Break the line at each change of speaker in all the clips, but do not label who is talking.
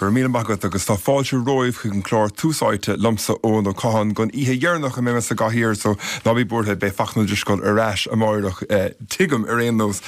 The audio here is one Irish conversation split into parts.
Go raibh míle maith agat agus tá fáilte romhaibh chuig an clár Tús Áite liomsa Eoin Ó Catháin don oíche dheireanach a mbeidh mé sa gcathaoir so ná bí buartha beidh Fachtna Ó Drisceoil ar ais amáireach, tuigim ar aon nós.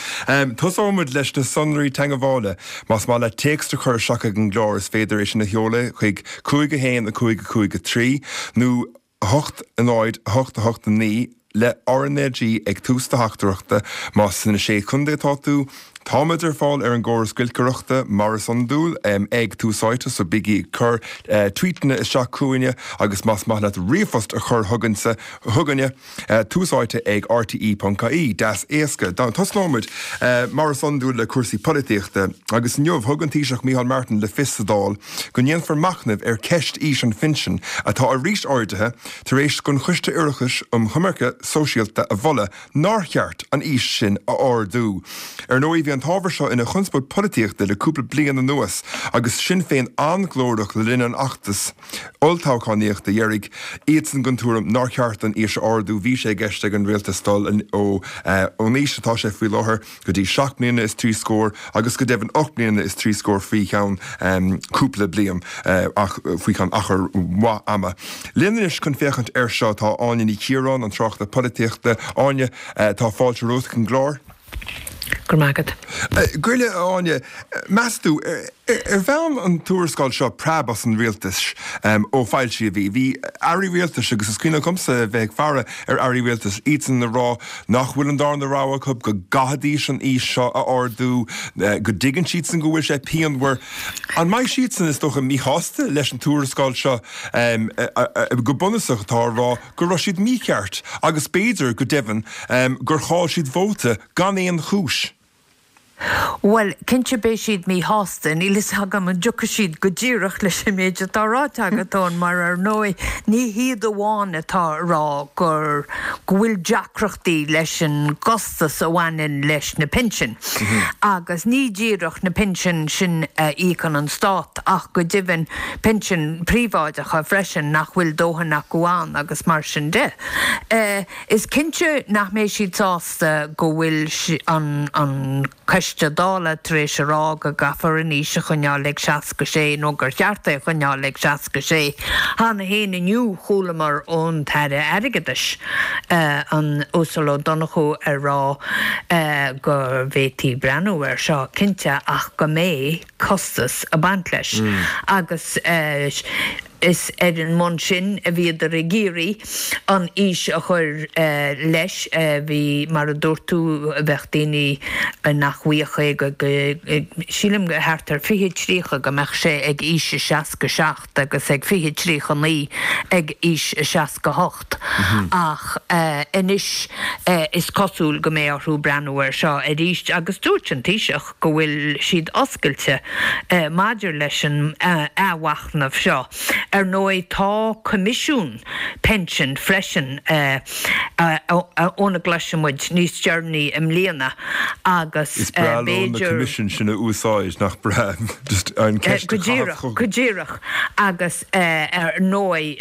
Tosóidh muid leis na sonraí teagmhála. Más maith leat téacs a chur isteach ag an gclár is féidir é sin a sheoladh chuig 5 1 5 5 3 nó 8 0 8 8 9 le RnaG ag tús do theachtaireachta más sna Sé Chontae atá tú. Táimid ar fáil ar an gcóras giolcaireachta mar is iondúil ag Tús Áite so bígí ag cur tweetanna isteach chugainne agus más maith leat ríomhphost a chur chugainne, chugainne, Tús Áite ag rte.ie. Deas éasca. Tosnóimid mar is iondúil le cúrsaí polaitíochta agus inniu thug an Taoiseach Micheál Martin le fios sa Dáil go ndéanfar machnamh ar cheist aois an phinsin atá arís ardaithe tar éis don Choiste Oireachtais um Choimirce Sóisialta a mholadh nár cheart an aois sin a ardú. Ar ndóigh bhí an t-ábhar seo ina chonspóid polaitíochta le cúpla bliain anuas agus Sinn Féin an-ghlórach le linn an fheachtais olltoghchánaíochta dheiridh, iadsan den tuairim nár cheart an aois a ardú. Bhí sé i gceist ag an rialtas dul ón aois atá sé faoi láthair go dtí seacht mbliana is trí scór agus go deimhin ocht mbliana is trí scór faoi cheann cúpla bliain, ach faoi cheann achar mhaith ama. Linn anois chun féachaint air seo tá Áine Ní Chiaráin, an tráchtaire polaitíochta. Áine, tá fáilte romhat chuig an gclár.
Go raibh maith agat.
Goile, a Áine, meas tú, ar bhain an tuarascáil seo preab as an rialtas ó foilsíodh í? Bhí airí rialtais, agus is cuimhin liomsa a bheith ag faire ar airí rialtais, iadsan ag rá nach bhfuil an darna rogha acu, go gcaithfidís an aois seo a ardú, go dtuigeann siadsan go bhfuil sé pianmhar. An mbeidh siadsan, is dócha, míshásta leis an tuarascáil seo go bunúsach atá ag rá go raibh siad mícheart agus b'fhéidir, go deimhin, gur chaill siad vóta gan aon chúis.
Bhuel, cinnte beidh siad míshásta. Níl fhios agam an dtiocfaidh siad go díreach leis an méid atá ráite agat, Eoin, mar ar ndóigh ní hiad amháin atá ag rá gur, go bhfuil deacrachtaí leis an gcostas a bhaineann leis na pinsin. Agus ní díreach na pinsin sin a íocann an stát ach go deimhin pinsin príobháideacha freisin nach bhfuil dóthain acu ann agus mar sin de. Is cinnte nach mbeidh siad sásta go bhfuil an Coiste Dála tar éis a rá go gcaithfear an aois a choinneáil ag 66 nó gur cheart é a choinneáil ag 66. Cheana féin inniu chualamar ón tAire Airgeadais, an Uasal Ó Donnchú ag rá go bhféadfaí breathnú air seo cinnte ach go mbeidh costas ag baint leis agus Is ar an mbonn sin a bhíodar ag iarraidh an aois a chur leis. Bhí, mar a dúirt tú, bheadh daoine nach bhfaigheadh é go, sílim, thart ar 2030 go mbeadh sé ag aois a 67 agus ag 2039 ag aois a 68. Ach anois is cosúil go mbeidh orthu breathnú air seo arís agus dúirt an Taoiseach, go bhfuil siad oscailte maidir leis an athmhachnamh seo. Ar ndóigh, tá coimisiún pinsean freisin óna gcloisfidh muid níos deireanaí i mbliana agus
Is breá leo na b'fhéidir. coimisiúin sin a úsáid, nach breá? Just an ceist
a Go chaitheamh díreach, chucu. go díreach. Agus ar ndóigh,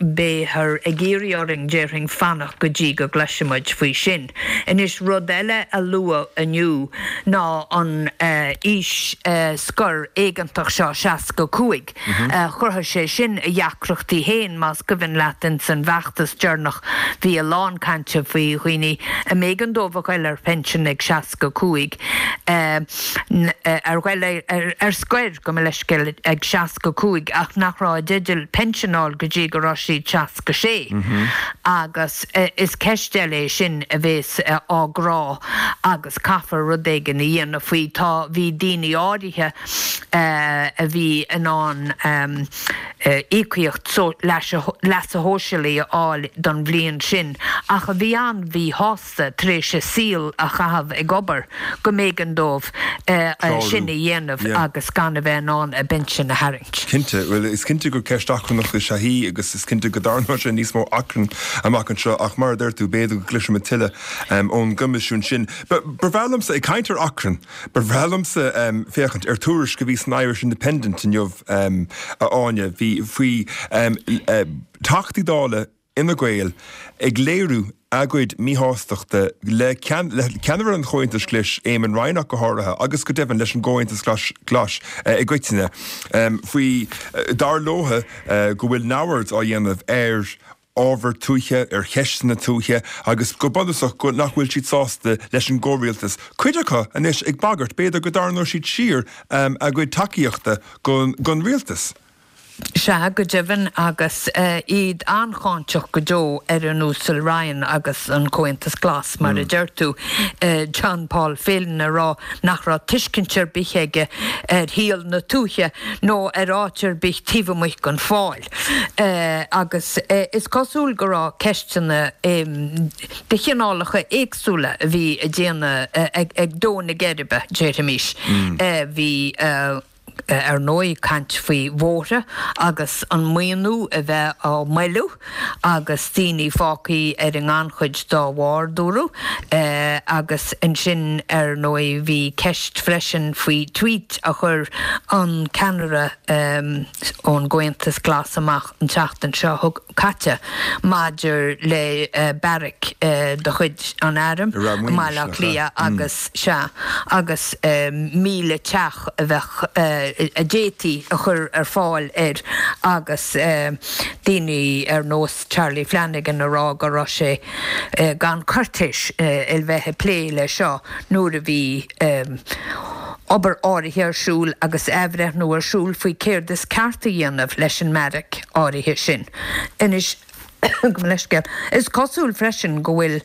beifear ag iarraidh orainn, déarfainn, fanacht go dtí go gcloisfidh muid faoi sin. Anois, rud eile a luadh inniu ná an aois scoir éigeantach seo, 65. Chruthaigh sé sin a dheacrachtaí féin, más cuimhin leat ins an bhfeachtas deireanach bhí a lán cainte faoi dhaoine a mb'éigean dóibh a ghoil ar phinsean ag 65, ar ghoil ar scoir, gabh mo leithscéal, ag 65 ach nach raibh i dteideal pinsean a fháil go dtí go raibh siad 66. Agus. Is ceist eile é sin a bhéas á gcrá agus caithfear rud éigin a dhéanamh faoi. Tá, bhí daoine áirithe a bhí in ann íocaíocht leasa shóisialaigh a fháil don bhliain sin ach a bhí an-mhíshásta. tar éis a saol a chaitheamh ag obair, go mb'éigean dóibh sin a dhéanamh agus gan a bheith in ann a bpinsean a tharraingt.
Cinnte. Bhuel, is cinnte gur ceist achrannach is ea í agus is cinnte go dtarraingeoidh sé níos mó achrainn amach anseo ach mar a deir tú, b'fhéidir go gcloisfimid tuilleadh ón gcoimisiún sin. Ba bhreá liomsa, ag caint ar achrann, ba bhreá liomsa féachaint ar tuairisc a bhí san Irish Independent inniu, a Áine, bhí faoi Teachtaí Dála Fhine Gael ag léiriú. a gcuid míshástachta le ceannaire an Chomhaontais Ghlais, Eamon Ryan ach go háirithe, agus go deimhin leis an gComhaontas Glas i gcoitinne, faoi, dar leo, go bhfuil neamhaird á dhéanamh ar ábhar tuaithe, ar cheisteanna tuaithe agus go bunúsach go nach bhfuil siad sásta leis an gcomhrialtas. Cuid acu anois ag bagairt, b'fhéidir go dtarraingeodh siad siar a gcuid tacaíochta don rialtas.
Sea, go deimhin, agus iad an-cháinteach go deo ar an Uasal Ryan agus an Comhaontas Glas, mar a deir tú, John Paul Phelan ag rá nach raibh tuiscint ar bith aige ar shaol na tuaithe nó ar áit ar bith taobh amuigh den Pháil. Agus is cosúil go raibh ceisteanna de chineálacha éagsúla a bhí ag déanamh, ag dó na geirbe, déarfaimis. Bhí. Ar ndóigh, caint faoi bhóithre agus an maoiniú a bheith á mhoilliú agus daoine fágtha ar an ngannchuid dá bharr, dúradh. Agus ansin, ar ndóigh, bhí ceist freisin faoi tweet a chuir an ceannaire ón gComhaontas Glas amach an tseachtain seo caite maidir le beairic de chuid an Airm i mBaile Átha Cliath agus, sea, agus 1,000 teach a bheadh, a d'fhéadfaí a chur ar fáil air agus daoine ar nós Charlie Flanagan ag rá go raibh sé gan cuirtéis a bheith ag plé le seo nuair a bhí obair áirithe ar siúl agus athbhreithniú ar siúl faoi céard is ceart a dhéanamh leis an mbeairic áirithe sin. Anois, gabh mo leithscéal, is cosúil freisin go bhfuil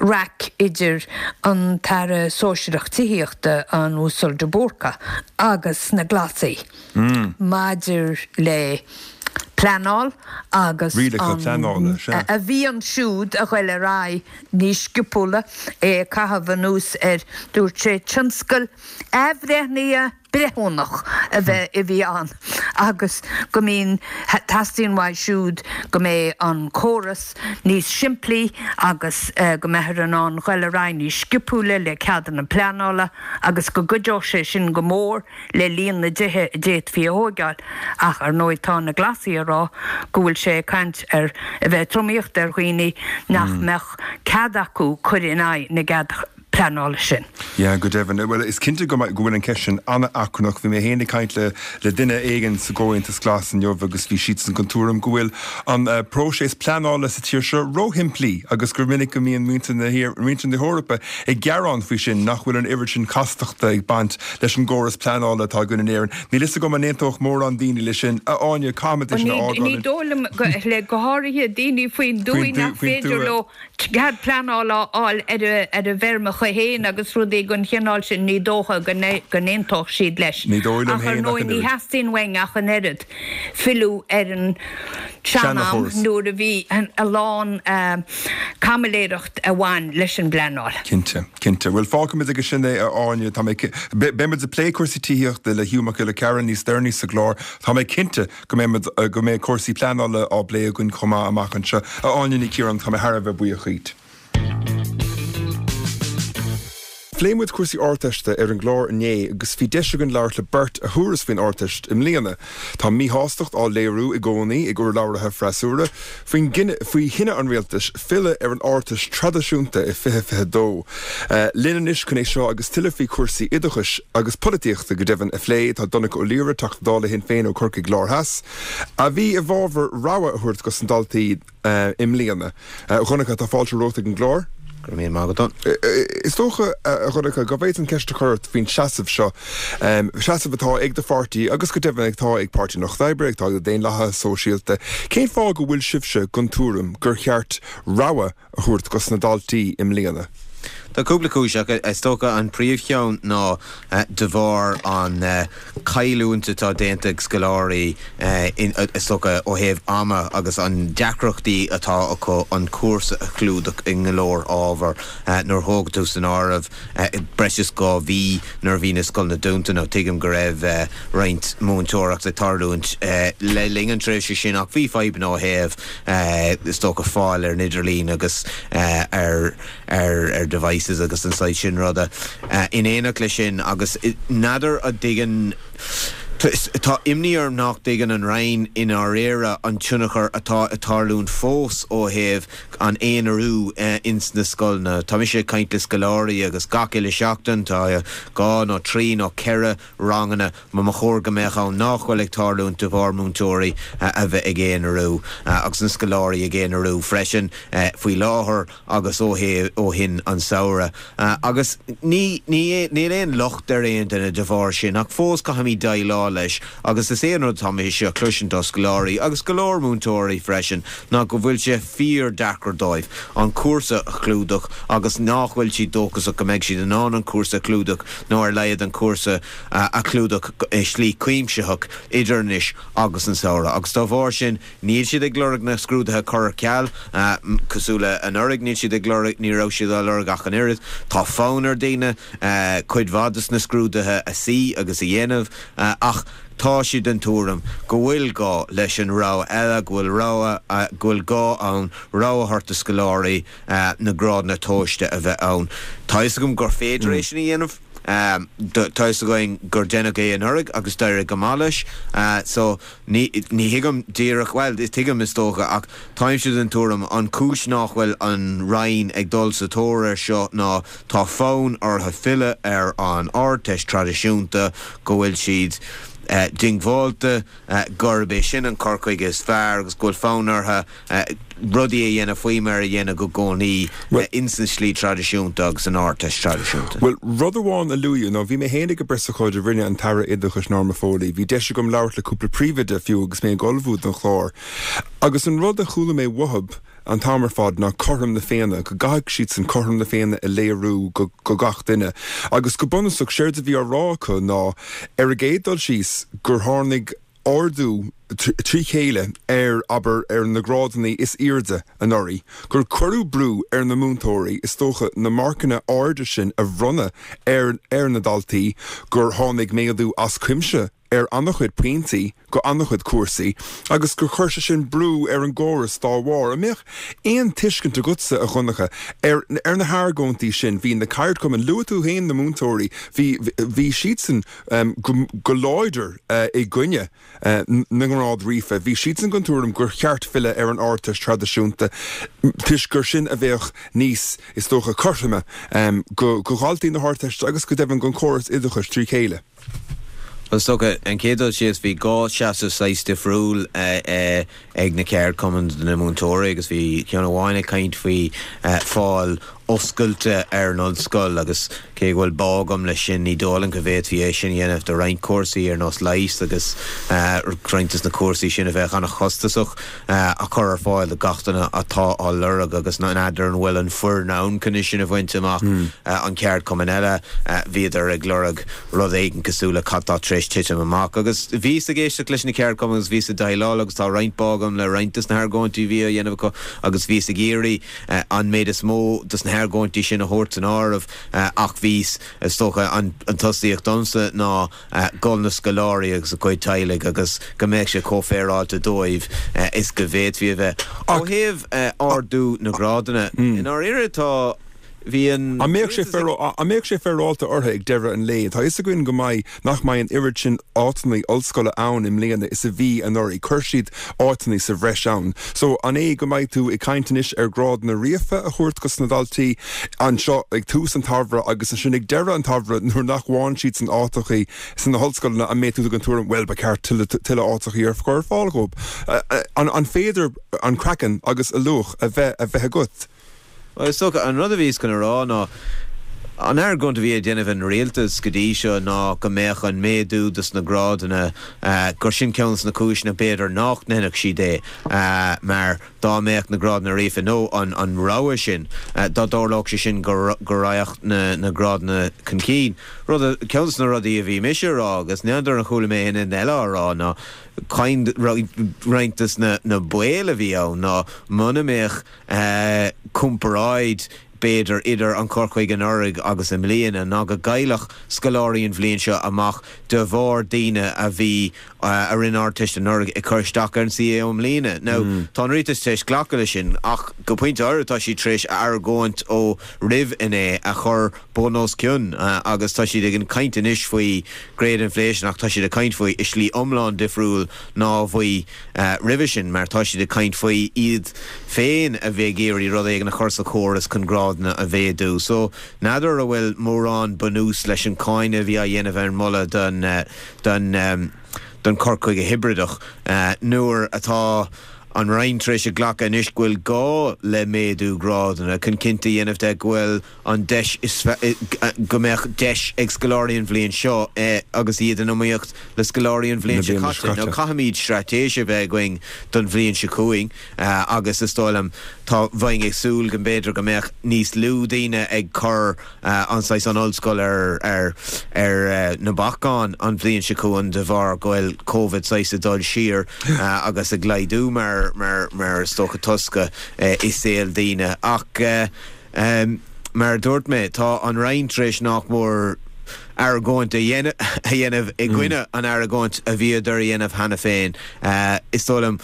raic idir an tAire Sóisearach Tithíochta, an Uasal de Búrca, agus na Glasaigh maidir le pleanáil agus
an
a mhian siúd a ghoil ar aghaidh níos sciopúla, é ag caitheamh anuas ar, dúirt sé, tionscal athbhreithnithe breithiúnach a bheith a bhí ann agus go mbíonn, teastaíonn uaidh siúd go mbeidh an córas níos simplí agus go mbeifear in ann dul ar aghaidh níos sciopúla le ceadanna pleanála agus go gcuideodh sé sin go mór le líon na dtithe a d'fhéadfaí a thóigeáil. Ach ar ndóigh tá na Glasaigh ag rá go bhfuil sé ag caint ar a bheith ag tromaíocht ar dhaoine nach mbeadh cead acu cur in aghaidh na gcead pleanála sin.
Yeah, go deimhin. Bhuel, is cinnte go go bhfuil an ceist sin an-achrannach. Bhí mé féin ag caint le le duine éigin sa gComhaontas Glas inniu agus bhí siadsan den tuairim go bhfuil an próiseas pleanála sa tír seo róshimplí agus gur minic go mbíonn muintir na muintir na hEorpa ag gearán faoi sin, nach bhfuil an oiread sin castachta ag baint leis an gcóras pleanála atá againn in Éirinn. Níl fhios agam an aontódh mórán daoine leis sin. A Áine, caithfimid é sin a fhágáil.
Ní dóigh liom, le go háirithe daoine faoin dtuaith nach féidir leo cead pleanála a fháil ar a bhfeirmeacha féin agus rudaí den chineál sin, ní dócha go n-aontódh siad leis.
Ní dóigh liom
Ach ar
féin ach
ndóigh
an
ní
oiread.
theastaíonn uainn ach an oiread filleadh ar an tsean-am nuair a bhí a lán caimiléireacht a bhain leis an bpleanáil.
Cinnte, cinnte. Bhuel, fágfaimid aige sin é, a Áine. Tá mé, beidh muid ag plé cúrsaí tithíochta le Hugh Mac Giolla Chearra níos deireanaí sa gclár. Tá mé cinnte go mbeidh muid, go mbeidh cúrsaí pleanála á bplé againn chomh maith amach anseo. A Áine Ní Chiaráin, tá mé thar a bheith buíoch dhíot. Phléigh muid cúrsaí Ardteiste ar an gclár inné agus bhí deis againn labhairt le beirt a thabharfas faoin Ardteist i mbliana. Tá míshástacht á léiriú i gcónaí ag urlabhraithe freasúra faoin faoi chinneadh an rialtais filleadh ar an Ardteist traidisiúnta i 2022. Linn anois chun é seo agus tuilleadh faoi chúrsaí oideachais agus polaitíochta go deimhin a phlé tá Donncha Ó Laoghaire, Teachta Dála Shinn Féin ó Chorcaigh Lár Theas, a bhí i bhfabhar rogha a thabhairt dos na daltaí. i mbliana. A Dhonncha, tá fáilte romhat ag an gclár.
Go raibh míle maith agat.
Is dócha, a Dhonncha, go bhféadfainn ceist a chur ort faoin seasamh seo, seasamh atá ag do pháirtí agus go deimhin atá ag Páirtí an Lucht Oibre, atá ag na Daonlathaithe Sóisialta. Cén fáth go bhfuil sibhse den tuairim gur cheart rogha a thabhairt dos na daltaí i mbliana?
Tá cúpla cúis ach is dócha an príomhcheann ná de bharr an cailliúint atá déanta ag scoláirí is dócha ó thaobh ama agus an deacrachtaí atá acu an cúrsa a chlúdach i go leor ábhar. Nuair a thógann tú san áireamh breis is 2 mhí nuair a bhí na scoileanna dúnta nó tuigim go raibh roinnt múinteoireacht ag tarlúint le linn an tréimhse sin ach bhí fadhbanna ó thaobh is dócha fáil ar an idirlíon agus ar ar devices agus an saghas sin ruda. In éineacht leis sin, agus n'fheadar an dtuigeann. Tá imní orm nach dtuigeann an Roinn i ndáiríre an tionchar atá ag tarlúint fós ó thaobh an aonarú ins na scoileanna. Tá mise ag caint le scoláirí agus gach uile seachtain tá 2 nó 3 nó 4 ranganna mar ba chóir go mbeadh ann nách bhfuil ag tarlúint de bharr múinteoirí a bheith ag aonarú agus na scoláirí ag aonarú freisin faoi láthair. agus ó shin an samhradh. Agus ní, ní, níl aon locht ar aon duine de bharr sin ach fós caithfimid déileáil leis agus is é an rud atá mise a chloisint ó scoláirí agus go leor múinteoirí freisin ná go bhfuil sé fíor-deacair dóibh an cúrsa a chlúdach agus nách bhfuil siad dóchasach go mbeidh siad in ann an cúrsa a chlúdach nó ar laghad an cúrsa a chlúdach i slí cuimsitheach idir anois agus an samhradh. Agus dá bharr sin Níl siad ag lorg na scrúduithe a chur ar ceal, cosúil le anuraidh, níl siad ag lorg, ní raibh siad á lorg ach an oiread. Tá fonn ar daoine cuid mhaith des na scrúduithe a suí agus a dhéanamh ach tá siad den tuairim go bhfuil gá leis an rogha eile, go bhfuil rogha, go bhfuil gá ann rogha a thabhairt do scoláirí na grádanna tomhaiste a bheith ann. Tá fhios agam gur féidir é sin a dhéanamh. Tá fhios againn gur deineadh é anuraidh agus d'éirigh go maith leis. So, ní, ní thuigim díreach, bhuel, tuigim is dócha, ach táimse den tuairim, an chúis nách bhfuil an Roinn ag dul sa tóir air seo ná tá fonn orthu filleadh ar an Ardteist traidisiúnta, go bhfuil siad diongbháilte gurb é sin an cur chuige is fearr agus go bhfuil fonn orthu rudaí a dhéanamh faoi mar a dhéanadh i gcónaí ins an slí traidisiúnta agus an Ardteist traidisiúnta.
Bhuel, rud amháin a luadh ná, bhí mé féin ag an bpreasócáid a rinne an tAire Oideachais Norma Foley, bhí deis agam labhairt le cúpla príomhoide fiú agus mé ag ullmhú don chlár, agus an rud a chuala mé uathub an t-am ar fad ná cothrom na Féinne, go gcaithfidh siadsan cothrom na Féinne a léiriú go gach duine. Agus go bunúsach, séard a bhí á rá acu ná, ar an gcéad dul síos, gur tháinig ardú trí chéile ar, abair, ar na grádanna is airde anuraidh, gur cuireadh brú ar na múinteoirí, is dócha, na marcanna arda sin a bhronnadh ar ar na daltaí, gur tháinig méadú as cuimse ar an-chuid pointí go an-chuid cúrsaí agus gur chuir sé sin brú ar an gcóras dá bharr. An mbeadh aon tuiscint agatsa, a Dhonncha, ar ar na hargóintí sin? Bhí na ceardchumainn, luaigh tú féin na múinteoirí, bhí bhí siadsan, go láidir i gcoinne na ngrád ríofa. Bhí siadsan den tuairim gur cheart filleadh ar an Ardteist traidisiúnta toisc gur sin a bheadh níos, is dócha, cothroime go dhaltaí na hArdteiste agus go deimhin don chóras oideachais trí chéile.
Bhuel, is dócha, an chéad dul síos, bhí dhá seasamh saghas difriúil ag na ceardchumainn do na múinteoirí agus bhí ceann amháin ag caint faoi fáil oscailte ar an ollscoil agus cé go bhfuil bá agam leis sin, ní dóigh liom go bhféadfaí é sin a dhéanamh do roinnt cúrsaí ar nós leighis agus roinnt de na cúrsaí sin a bheadh an-chostasach a chur ar fáil do gach duine atá á lorg agus n'fheadar an bhfuil an foireann ann chun é sin a bhaint amach. An ceardchumann eile, bhíodar ag lorg rud éigin cosúil le cad tá tar éis titim amach agus bhíos ag éisteacht leis na ceardchumainn agus bhíos ag déileáil agus tá roinnt bá agam le roinnt de na hargóintí a bhí á dhéanamh acu agus bhíos ag iarraidh an méid is mó de na hargóintí sin a thabhairt san áireamh ach bhíos, is dócha, an tosaíocht domsa ná do na scoláirí agus a gcuid teaghlaigh agus go mbeadh sé chomh féaráilte dóibh is go bhféadfaí a bheith. Ó thaobh ardú na ngrádanna, i ndáiríre tá, bhí an.
An mbeadh sé an mbeadh sé féaráilte orthu ag deireadh an lae? Tá a fhios againn go mbeidh, nach mbeidh an oiread sin áiteanna ollscoile ann i mbliana is a bhí anuraidh. Chuir siad áiteanna sa bhreis ann. So, an é go mbeidh tú ag caint anois ar grádanna ríofa a thabhairt dos na daltaí anseo ag tús an tsamhraidh agus ansin ag deireadh an tsamhraidh nuair nach bhfaigheann siad san áiteachaí sna hollscoileanna, an mbeidh tú den tuairim, bhuel, ba cheart tuilleadh áiteachaí a chur ar fáil dhóibh? An féidir an craiceann agus a luach a bheith a bheith agat?
Bhuel, is dócha, an rud a bhíos chun a rá ná, an argóint a bhí ag déanamh an rialtas go dtí seo ná go mbeadh an méadú dos na grádanna, gur sin ceann dos na cúiseanna b'fhéidir nách ndéanfadh siad é, mar dá mbeadh na grádanna ríofa nó an an rogha sin, dá dtarlódh sé sin go go raghadh na na grádanna chun cinn. Rud, ceann dos na rudaí a bhí mise a rá agus n'fheadar an chuala mé aon duine eile á rá ná roinnt dos na na baol a bhí ann ná muna mbeadh comparáid. b'fhéidir, idir an cur chuige anuraidh agus i mbliana ná go gcaillfeadh scoláirí an bhliain seo amach de bharr daoine a bhí, a rinne Ardteist anuraidh ag cur isteach ar an CAO i mbliana. Now, tá an Rialtas tar éis glacadh leis sin ach go pointe áirithe tá siad tar éis a argóint ó roimh inné a chur bun os cionn agus tá siad ag caint anois faoi grade inflation ach tá siad ag caint faoi i slí iomlán difriúil ná bhí roimhe sin mar tá siad ag caint faoi iad féin a bheith ag iarraidh rud éigin a chur sa chóras chun grádanna a mhéadú. So, n'fheadar an bhfuil mórán bunús leis an cáineadh a bhí á dhéanamh ar an moladh don don don cur chuige hibrideach nuair atá an Roinn tar éis a glacadh anois go bhfuil gá le méadú grádanna chun cinnte a dhéanamh de go bhfuil an deis is go mbeadh deis ag scoláirí an bhliain seo agus iad in iomaíocht le scoláirí an bhliain seo caite. Now caithfimid straitéis a bheith againn don bhliain seo chugainn agus is dóigh liom tá bheinn ag súil go mb'fhéidir go mbeadh níos lú daoine ag cur an saghas an ollscoil ar ar ar na bacáin an bhliain seo chugainn de bharr go bhfuil Covid saghas ag dul siar agus ag laghdú mar mar mar is dócha tosca i saol daoine ach mar a dúirt mé tá an Roinn tar éis nach mór argóint a dhéanamh i gcoinne an argóint a bhíodar a dhéanamh cheana féin. Is dóigh liom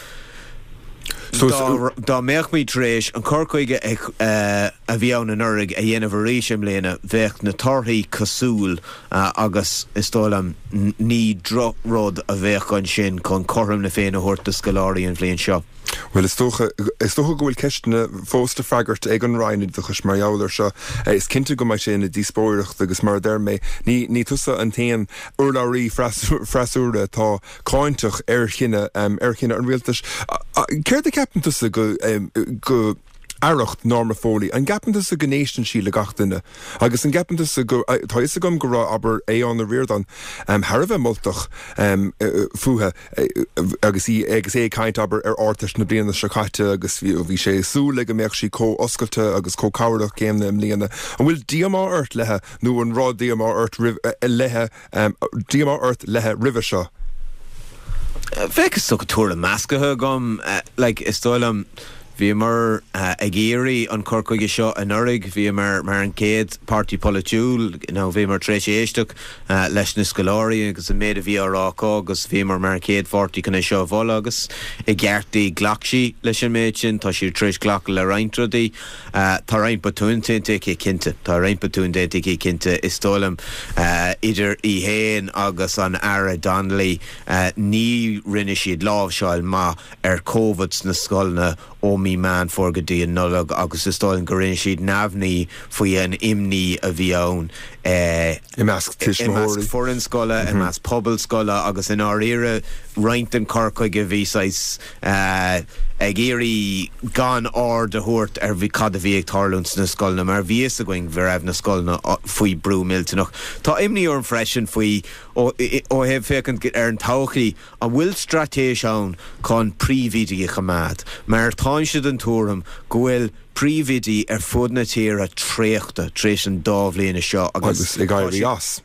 Dá mbeadh muid tar éis an cur chuige a bhí ann anuraidh a dhéanamh arís i mbliana, bheadh na torthaí cosúil agus is dóigh liom ní drochrud a bheadh ansin chun cothrom na Féinne a thabhairt do scoláirí an bhliain seo.
Bhuel, is dócha, is dócha go bhfuil ceisteanna fós le freagairt ag an Roinn Oideachais mar gheall air seo. Is cinnte go mbeidh sé ina dhíospóireacht agus mar a deir mé, ní, ní tusa an t-aon urlabhraí freasúra atá cáinteach ar chinneadh ar chinneadh an rialtais. Céard a cheapann tusa go go aireacht Norma Foley? An gceapann tusa go n-éisteann sí le gach duine? Agus an gceapann tusa go tá fhios agam go raibh abair Aodhán Ó Ríordáin thar a bheith moltach fúithi agus í agus é ag caint abair ar Ardteist na bliana seo caite agus bhí sé ag súil le go mbeadh sí chomh oscailte agus chomh cabhrach céanna i mbliana. An bhfuil díomá ort léithi nó an raibh díomá ort roimh léithi Díomá ort léithi roimhe seo?
Bheadh is dócha tuairim measctha agam. Like, is dóigh liom, bhíomar ag iarraidh an cur chuige seo anuraidh, bhíomar mar an chéad páirtí polaitiúil, you know, bhíomar tar éis éisteacht leis na scoláirí agus an méid a bhí á rá acu agus bhíomar mar an chéad pháirtí chun é seo a mholadh agus i gceart di ghlac sí leis an méid sin, tá sí tar éis glacadh le roinnt rudaí. Tá roinnt botúin déanta aici, cinnte. Tá roinnt botúin déanta aici, cinnte. Is dóigh liom, idir í féin agus an Aire Donnelly, ní rinne siad láimhseáil maith ar Covid sna scoileanna ó mí Meán Fómhair go dtí an Nollaig agus is dóigh liom go rinne siad neamhní faoi an imní a bhí ann
i measc
tuismitheoirí, i measc foireann scoile, i measc pobal scoile agus i ndáiríre roinnt den chur chuige bhí saghas ag iarraidh gan aird a thabhairt ar cad a bhí ag tarlúint sna scoileanna mar bhí fhios againn go raibh na scoileanna faoi brú millteanach. Tá imní orm freisin faoi, ó thaobh féachaint ar an todhchaí, an bhfuil straitéis ann chun príomhoidí a choimeád? Mar táimse den tuairim go bhfuil príomhoidí ar fud na tíre traochta tar éis an dá bhliana seo
agus ag éirí as.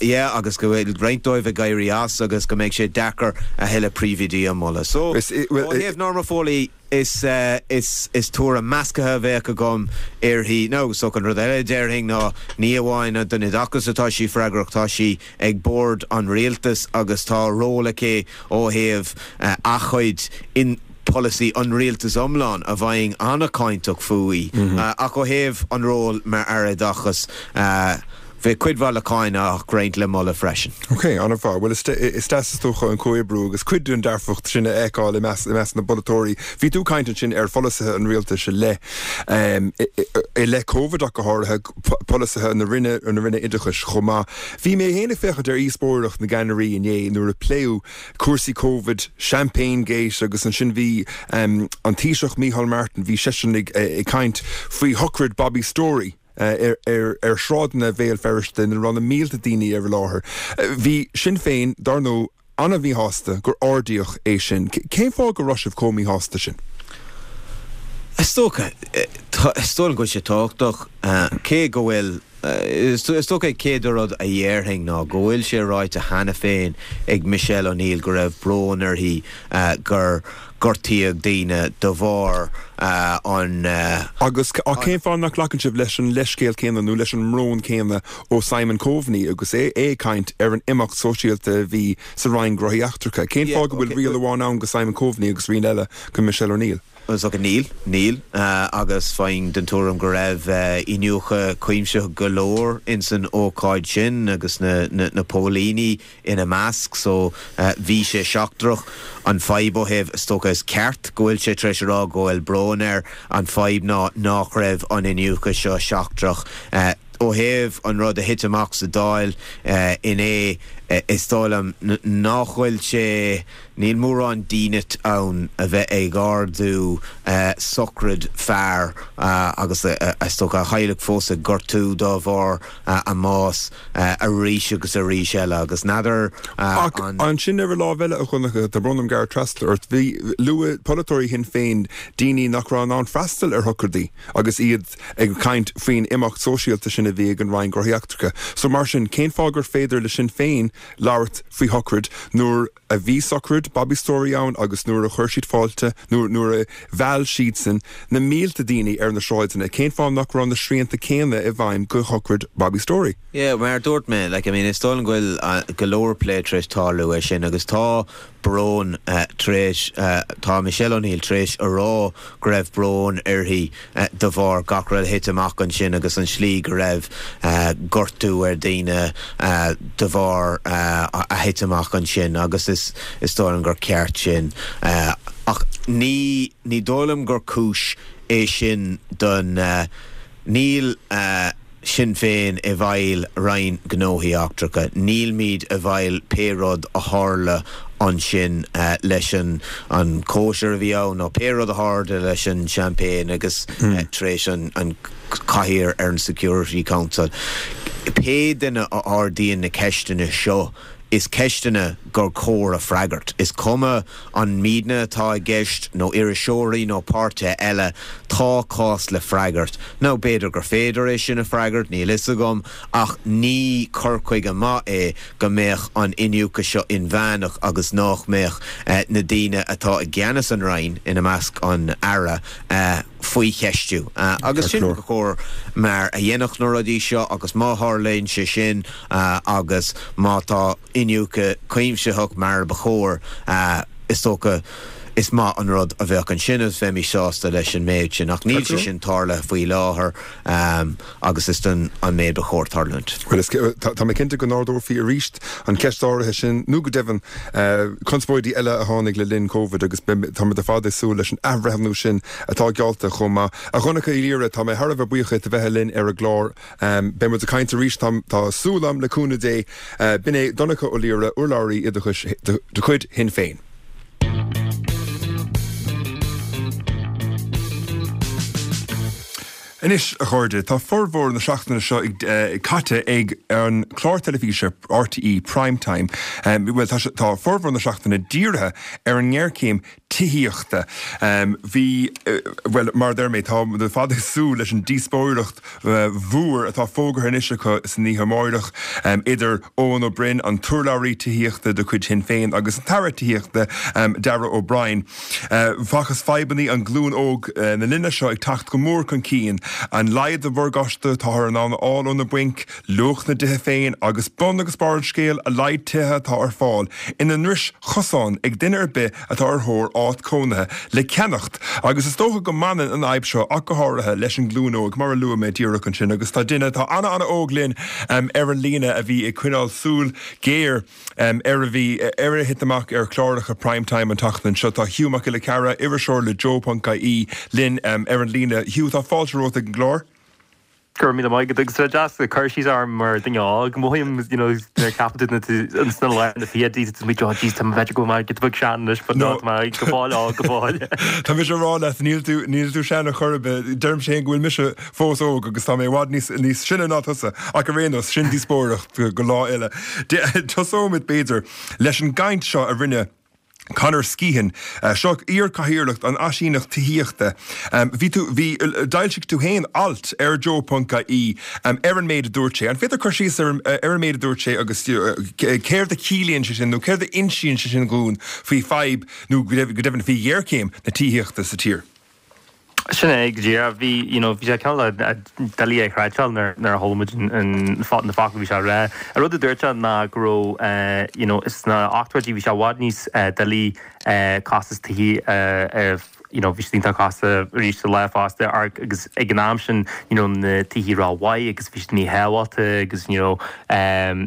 Yeah, agus go bhfuil roinnt dóibh ag éirí as agus go mbeidh sé deacair a thuilleadh príomhoidí a mholadh. So, ó thaobh Norma Foley, is, is, is tuairim measctha a bheadh agam uirthi. Now, so an rud eile a déarfainn ná ní amháin don oideachas atá sí freagrach, tá sí ag bord an rialtais agus tá ról aici ó thaobh a chuid in polasaí an rialtais iomlán a bheinn an-cháinteach fúithi. Ach ó thaobh an ról mar Aire Oideachais, Bheadh cuid mhaith le cáineadh ach roinnt le moladh freisin.
Ok, an-mhaith. Bhuel, is deas is dócha an comhoibriú agus cuid den dearfacht sin a fheiceáil i measc i measc na bpolaiteoirí. Bhí tú ag caint ansin ar pholasaithe an rialtais i leith i leith Covid ach go háirithe, polasaithe na Roinne na Roinne Oideachais chomh maith. Bhí mé féin ag féachaint ar dhíospóireacht na gceannairí inné nuair a pléadh cúrsaí Covid, Champagne Gate agus ansin bhí an Taoiseach Micheál Martin, bhí seisean ag caint faoi shochraid Bobby Storey. ar shráideanna Bhéal Feirste ina raibh na mílte daoine ar i láthair. Bhí Sinn Féin, dar ndóigh, an-mhíshásta gur ardaíodh é sin. Cén fáth go raibh sibh chomh míshásta sin?
Is dócha, is dóigh liom go bhfuil sé tábhachtach, cé go bhfuil. Is dócha an chéad rud a dhéarfainn ná go bhfuil sé ráite cheana féin ag Michelle O'Neill go raibh brón uirthi gur gortaíodh daoine de bharr an.
Agus cén fáth nach nglacann sibh leis an leithscéal céanna nó leis an mbrón céanna ó Simon Coveney agus é ag caint ar an imeacht sóisialta a bhí sa Roinn Gnóthaí Eachtracha? Cén fáth go bhfuil riail amháin ann go Simon Coveney agus riail eile go Michelle O'Neill?
Is dócha níl, níl, agus bheinn den tuairim go raibh iniúchadh cuimsitheach go leor ins an ócáid sin agus na na póilíní ina measc so bhí sé seachtrach. An fadhb ó thaobh, is dócha is ceart go bhfuil sé tar éis a rá go bhfuil brón air, an fadhb ná nach raibh an iniúchadh seo seachtrach. Ó thaobh an rud a thit amach sa Dáil inné, is dóigh liom nach bhfuil sé, níl mórán dínit ann a bheith ag ardú sochraid fear agus is dócha a theaghlach fós ag gortú dá bharr a mbás arís agus arís eile agus n'fheadar
Ach an. Ansin ar an lámh eile, a Dhonncha, tá brón orm gearradh trasna ort, bhí, luaigh polaiteoirí Shinn Féin daoine nach raibh in ann freastal ar shocraidí agus iad ag caint faoin imeacht sóisialta sin a bhí ag an Roinn Gnóthaí Eachtracha. So mar sin, cén fáth gur féidir le Sinn Féin labhairt faoi shocraid nuair a bhí sochraid Bobby Storey ann agus nuair a chuir siad fáilte, nó nuair a mheall siadsan na mílte daoine ar na sráideanna, cén fáth nach raibh na srianta céanna i bhfeidhm go shocraid Bobby Storey?
Yeah, mar a dúirt mé, like, I mean, is dóigh liom go bhfuil go leor plé tar éis tarlú air sin agus tá brón tar éis, tá Michelle O'Neill tar éis a rá go raibh brón uirthi de bharr gach rud a thit amach ansin agus an slí go raibh gortú ar daoine de bharr a thit amach ansin agus is is dóigh liom gur ceart sin. Ach ní ní dóigh liom gur cúis é sin don níl Sinn Féin i bhfeighil Roinn Gnóthaí Eachtracha. Nílmid i bhfeighil pé rud a tharla ansin leis an an cóisir a bhí ann nó pé rud a tharla leis an champagne agus tar éis an cathaoir ar an Security Council. Pé duine a ardaíonn na ceisteanna seo, is ceisteanna gur chóir a freagairt. Is cuma an muidne atá i gceist nó iriseoirí nó páirtithe eile, tá cás le freagairt. Now b'fhéidir gur féidir é sin a freagairt, níl fhios agam, ach ní cur chuige maith é go mbeadh an iniúchadh seo inmheánach agus nách mbeadh na daoine atá i gceannas an Roinn, ina measc an Aire, faoi cheistiú. Agus sin ba chóir mar a dhéanfadh na rudaí seo agus má tharlaíonn sé sin agus má tá iniúchadh cuimsitheach mar a ba chóir, is dócha is maith an rud a bheadh ansin agus bheimis sásta leis an méid sin. Ach níl sé sin tarlaithe faoi láthair agus is sin an méid ba chóir tarlúint.
Bhuel, tá mé cinnte go n-ardófaí arís an cheist áirithe sin, nó go deimhin conspóidí eile a tháinig le linn Covid agus táimid ar fad ag súil leis an athbhreithniú sin atá geallta chomh maith. A Dhonncha Uí Laoire, tá mé thar a bheith buíoch díot a bheith linn ar an gclár. Beidh muid ag caint arís, tá súil agam, le cúnamh Dé. B'in é Donncha Ó Laoire, urlabhraí oideachais de chuid Shinn Féin. Anois, a chairde, tá formhór na seachtaine seo caite ag an chlár teilifíse RTÉ Prime Time. Bhuel, tá, tá formhór na seachtaine dírithe ar an ngéarchéim tithíochta. Bhí, bhuel, mar a deir mé, tá muid ar fad ag súil leis an díospóireacht mhór atá fógartha anois acu san oíche amáireach idir Eoin Ó Broin, an t-urlabhraí tithíochta de chuid Shinn Féin, agus an tAire Tithíochta, Darragh O'Brien. Facthas fadhbanna an ghlúin óg na linne seo ag teacht go mór chun cinn, an laghad de mhorgáiste atáthar in ann a fháil ó na bainc, luach na dtithe féin agus bun agus barr an scéil, a laghad tithe atá ar fáil ina ndris chosáin ag duine ar bith atá ar thóir áit cónaithe le ceannacht. Agus is dócha go mbaineann an fhadhb seo ach go háirithe leis an nglúin óg, mar a luaigh mé díreach ansin, agus tá duine atá ana-ana-óg linn ar an líne a bhí ag coinneáil súil ghéar ar a bhí ar a thit amach ar chláracha Prime Time an tseachtain seo. Tá Hugh Mac Giolla Chearra, iriseoir le Joe.ie, linn ar an líne. Hugh, tá fáilte romhat ag an gclár.
Go raibh míle maith agat. Agus tá deas cur síos orm mar duine óg. Mothaím, you know, nuair a ceapann tú na sna lár na fichidí, tá mé oh jeez, tá mé b'fhéidir go bhfuil mé giota beag sean anois, but no, tá mé go fóill óg, go fóill.
Tá mise ag rá leat, níl tú, níl tú sean ar chor ar bith. Deirimse féin go bhfuil mise fós óg agus tá mé i bhfad níos, níos sine ná tusa, ach ar aon nós, sin díospóireacht go lá eile. Tosóimid, b'fhéidir, leis an gcaint seo a rinne. Conor Skehan, seo iar-chathaoirleach an Áisíneacht Tithíochta. Bhí tú, bhí, d'fhoilsigh tú féin alt ar Joe ponc ie ar an méid a dúirt sé. An féidir cur síos ar ar an méid a dúirt sé agus céard a chiallaíonn sé sin nó céard a insíonn sé sin dhúinn faoi fadhb nó go deimhin faoi ghéarchéim na tithíochta sa tír?
Sin é go díreach. Bhí, you know, bhí sé cineál doiligh a chreidbheáil nuair nuair a chuala muid an na focail a bhí sé a rá. An rud a dúirt sé ná go raibh, you know, sna ochtóidí bhí sé i bhfad níos doiligh costas tithí a, you know, bhí siad iontach costach arís sa lá fosta agus ag an am sin, you know, na tithí rómhaith agus bhí siad míshábháilte agus, you know,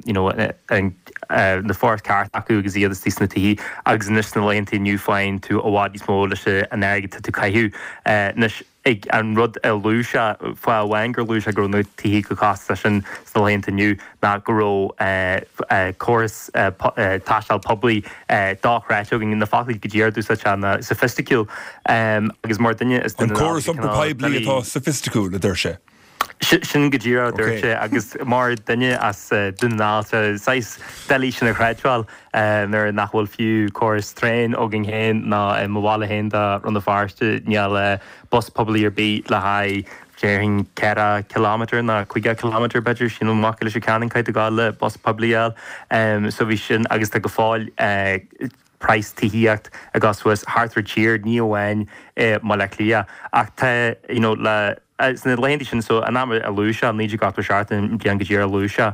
you know, an na forais ceart acu agus iad istigh sna tithí agus anois sna laethanta inniu faigheann tú i bhfad níos mó leis an airgead atá tú ag caitheamh. Anois ag an rud a luaigh sé, fáth amháin gur luaigh sé go raibh na tithí chomh costasach sin sna laethanta inniu ná go raibh córas taisteal poiblí dochreidte againn, na foclaí go díreach a d'úsáid sé ná soifisticiúil agus mar duine
is duine An córas iompair poiblí atá soifisticiúil, a deir sé.
Sin go díreach a dúirt sé agus mar duine as Dún na nGall tá saghas doiligh sin a chreidbheáil nuair nach bhfuil fiú córas traein againn féin ná i mo bhaile féin de Rann na Feirste níl bus poiblí ar bith le haghaidh déarfainn 4 kilometre nó 50 kilometre b'fhéidir sílim amach go Leitir Ceanainn caithfidh tú gabháil le bus poiblí a fháil so bhí sin agus tá go fóill praghas tithíocht ag dul suas thart ar an tír, ní amháin i mBaile Átha Cliath. Ach tá, you know, le, sna laethanta sin, so an am a luaigh sé, 1987 an bhliain go díreach a luaigh sé,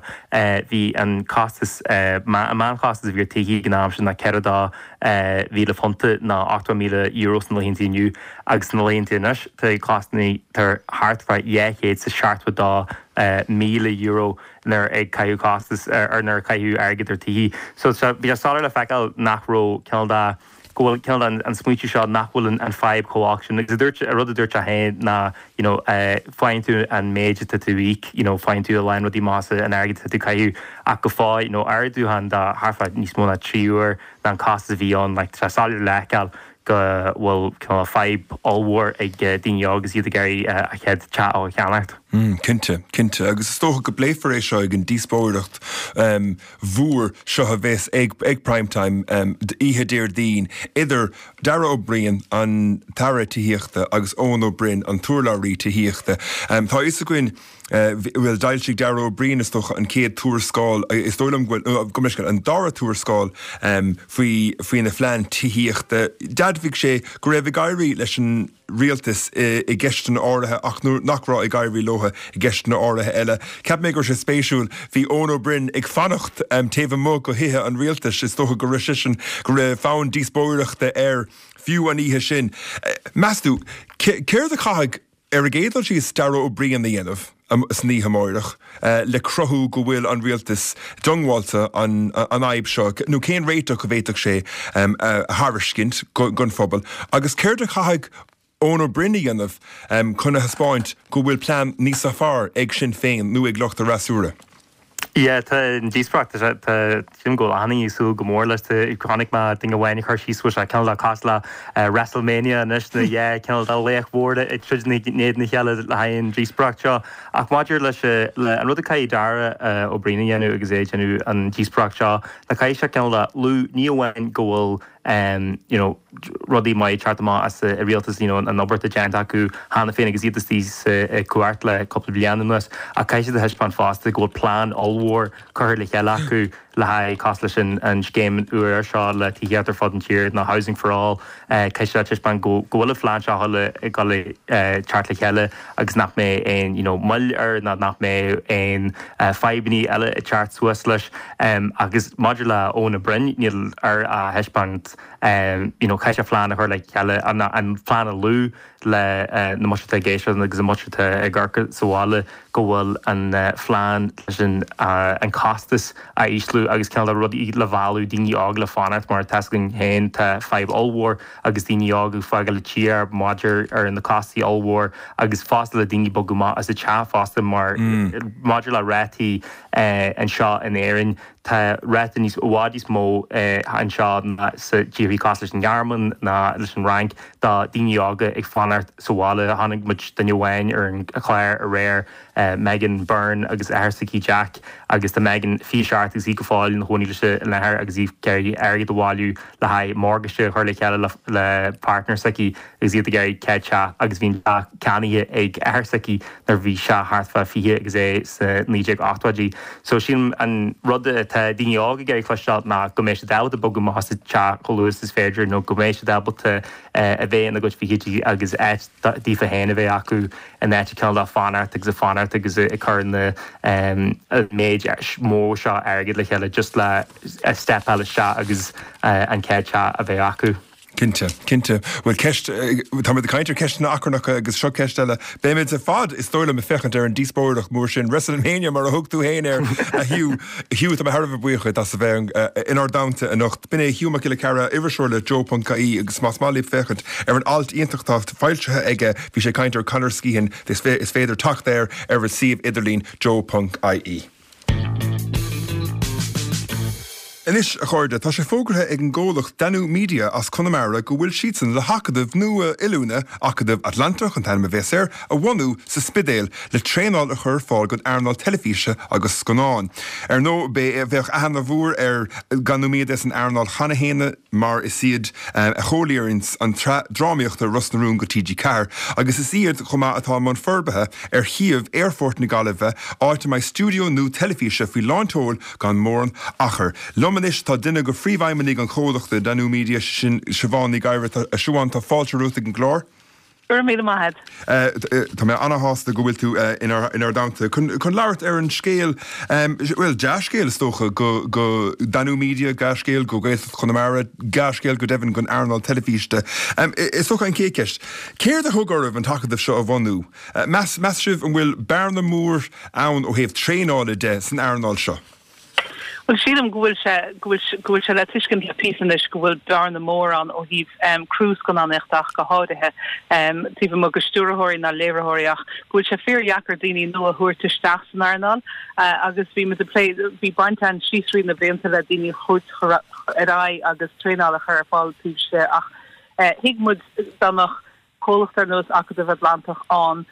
bhí an costas, an meánchostas a bhí ar tithí ag an am sin ná 42,000 punt nó €80,000 sna laethanta inniu agus sna laethanta anois tá costanna, tá thart fá €272,000. nuair ag caitheamh costas ar nuair a caitheadh airgead ar tithí. So bhí sé soiléir le feiceáil nach raibh cineál de go bhfuil cineál de an smaoitiú seo nach bhfuil an fadhb chomh olc sin. Agus a dúirt an rud a dúirt sé féin ná you know faigheann tú an méid atá tú íoc you know faigheann tú a lán rudaí maith as an airgead atá tú caitheamh ach go fóill you know ardúchán de thart fá níos mó ná 3 uair ná an costas a bhí ann like tá sé soiléir le feiceáil go bhfuil cineál fadhb ollmhór ag daoine óga agus iad ag iarraidh a chéad teach a cheannacht.
Cinnte, cinnte. Agus is dócha go bpléifear é seo ag an díospóireacht mhór seo a bheas ag ag Prime Time oíche Déardaoin idir Darragh Ó Briain, an tAire Tithíochta, agus Eoin Ó Broin, an t-urlabhraí tithíochta. Tá a fhios againn bhuel, d'fhoilsigh Darragh Ó Briain, is dócha, an chéad tuarascáil, is dóigh liom go bhfuil, gabh mo leithscéal, an dara tuarascáil faoi, faoina phlean tithíochta. D'admhaigh sé go raibh ag éirí leis an rialtas i gceisteanna áirithe ach nach raibh ag éirí leo i gceisteanna áirithe eile. Cheap mé go raibh sé spéisiúil, bhí Eoin Ó Broin ag fanacht taobh amuigh de thithe an rialtais, is dócha go raibh seisean, go raibh fonn díospóireachta air fiú an oíche sin. Meas tú, céard a chaithfidh Ar an gcéad dul síos, Darragh Ó Briain a dhéanamh san oíche amáireach le cruthú go bhfuil an rialtas diongbháilte an fhadhb seo, nó cén réiteach a bhféadfadh sé a thairiscint don phobal, agus céard a chaithfidh Eoin Ó Broin a dhéanamh chun a thaispeáint go bhfuil plean níosa fearr ag Sinn Féin nó ag lucht a fhreasúra?
Yeah, tá an díospóireacht, tá sé, tá, sílim go bhfuil achan duine ag súil go mór leis. Tá, chonaic mé duine amháin ag cur síos go bhfuil sé cineál de cosúil le WrestleMania anois, na dhá cineál de laoch mhór ag troid in éadan a chéile le haghaidh an díospóireacht seo. Ach maidir leis, le an rud a caithfidh Darragh Ó Briain a dhéanamh agus é ag déanamh an díospóireacht seo, ná caithfidh sé cineál de lua ní amháin go bhfuil you know rudaí maith ag teacht amach as an rialtas, you know an obair atá déanta acu cheana féin agus iad istigh sa cumhacht le cúpla bliain anuas ach caithfidh siad a thaispeáint fosta go bhfuil plean ollmhór curtha le chéile acu le haghaidh cosúil leis an an scéim úr seo le tithíocht ar fud an tír nó Housing for All caithfidh siad a thaispeáint go go bhfuil an phlean seo ag dul teacht le chéile agus nach mbeidh aon you know moill air ná nach mbeidh aon fadhbanna eile ag teacht suas leis. Agus maidir le Eoin Ó Broin, níl air a thaispeáint you know caithfidh sé plean a chur le chéile, an plean a lua le na muintir atá ag éisteacht agus an muintir atá ag amharc sa bhaile go bhfuil an phlean leis an costas a ísliú agus cineál de rudaí le mhealladh daoine óga le fanacht mar tá 'fhios againn féin tá fadhb ollmhór agus daoine óga ag fágáil an tír maidir ar na costais ollmhór agus fosta le daoine bogadh amach as an teach fosta mar maidir le rátaí anseo in Éirinn. Tá ráta níos, i bhfad níos mó anseo ná sa tíorthaí cosúil leis an nGearmáin ná leis an Fhrainc do daoine óga ag fanacht sa bhaile. Chonaic muid duine amháin ar an chlár aréir, Megan Byrne agus athair s'aici Jack agus tá Megan 27 agus í go fóill ina chónaí leis an athair agus í ag iarraidh airgead a bhailiú le haghaidh morgáiste a chur le chéile le partner s'aici agus iad ag iarraidh céad teach agus bhí an teach ceannaithe ag athair s'aici nuair bhí sé thart fá 20 agus é sna 1980idí. So sílim an rud atá daoine óga ag iarraidh cloisteáil ná go mbeidh siad ábalta bogadh amach as an teach chomh luath is is féidir nó go mbeidh siad ábalta a bheith ina gcuid fichidí agus áit daofa féin a bheith acu in áit cineál de fanacht agus ag fanacht agus ag cur na an méid mór seo airgid le chéile just le stepáil isteach agus an chéad teach a bheith acu.
Cinnte, cinnte. Bhuel, ceist, táimid ag caint ar cheisteanna achrannacha agus seo ceist eile. Beimid ar fad, is dóigh liom, ag féachaint ar an díospóireacht mhór sin, WrestleMania mar a thug tú féin air, a Hugh. Hugh, tá mé thar a bheith buíoch duit as a bheith inár dteannta anocht. B'in é Hugh Mac Giolla Chearra, iriseoir le Joe.ie agus más maith libh féachaint ar an alt iontach atá foilsithe aige, bhí sé ag caint ar Conor Skehan, is féidir teacht air ar a suíomh idirlín joe.ie. Anois, a chairde, tá sé fógartha ag an gcomhlacht Danú Media as Conamara go bhfuil siadsan le hacadamh nua oiliúna, Acadamh Atlantach an t-ainm a bhéas air, a bhunú sa Spidéal le traenáil a chur ar fáil don earnáil teilifíse agus scannáin. Ar ndóigh, bheadh aithne mhór ar Danú Media san earnáil cheana fhéin mar is iad a sholáthraíonns an tsraith drámaíochta Ros na Rún go TG4 agus is iad chomh maith atá i mbun forbartha ar shuíomh Aerfort na Gaillimhe, áit a mbeidh stiúideo nua teilifíse faoi lán tseoil gan mórán achair. Liom anois tá duine de phríomhfheidhmeannaigh an chomhlachta, Danú Media, sin Siobhán Ní Ghadhra. A Siobhán, tá fáilte romhat ag an gclár.
Go raibh míle maith
agat. Tá mé ana-shásta go bhfuil tú inár dteannta chun labhairt ar an scéal, bhuel, dea-scéal is dócha, go Danú Media, dea-scéal go Gaeltacht Chonamara, dea-scéal go deimhin don earnáil teilifíse. Is dócha an chéad cheist, céard a thug oraibh an t-acadamh seo a bhunú? Meas sibh an bhfuil bearna mór ann ó thaobh traenála de san earnáil seo?
Bhuel, sílim go bhfuil sé, go bhfuil, go bhfuil sé le tuiscint le píosa anois go bhfuil bearna mór ann ó thaobh criú scannánaíochta ach go háirithe, taobh amuigh de stiúrthóirí ná léiritheoirí ach go bhfuil sé fíordheacair daoine nua a thabhairt isteach san earnáil agus bhí muid ag plé, bhí baint againn síos thrí na blianta le daoine a thabhairt ar aghaidh agus traenáil a chur ar fáil taobh istigh ach thuig muid dá mbeadh comhlacht ar nós Acadamh Atlantach ann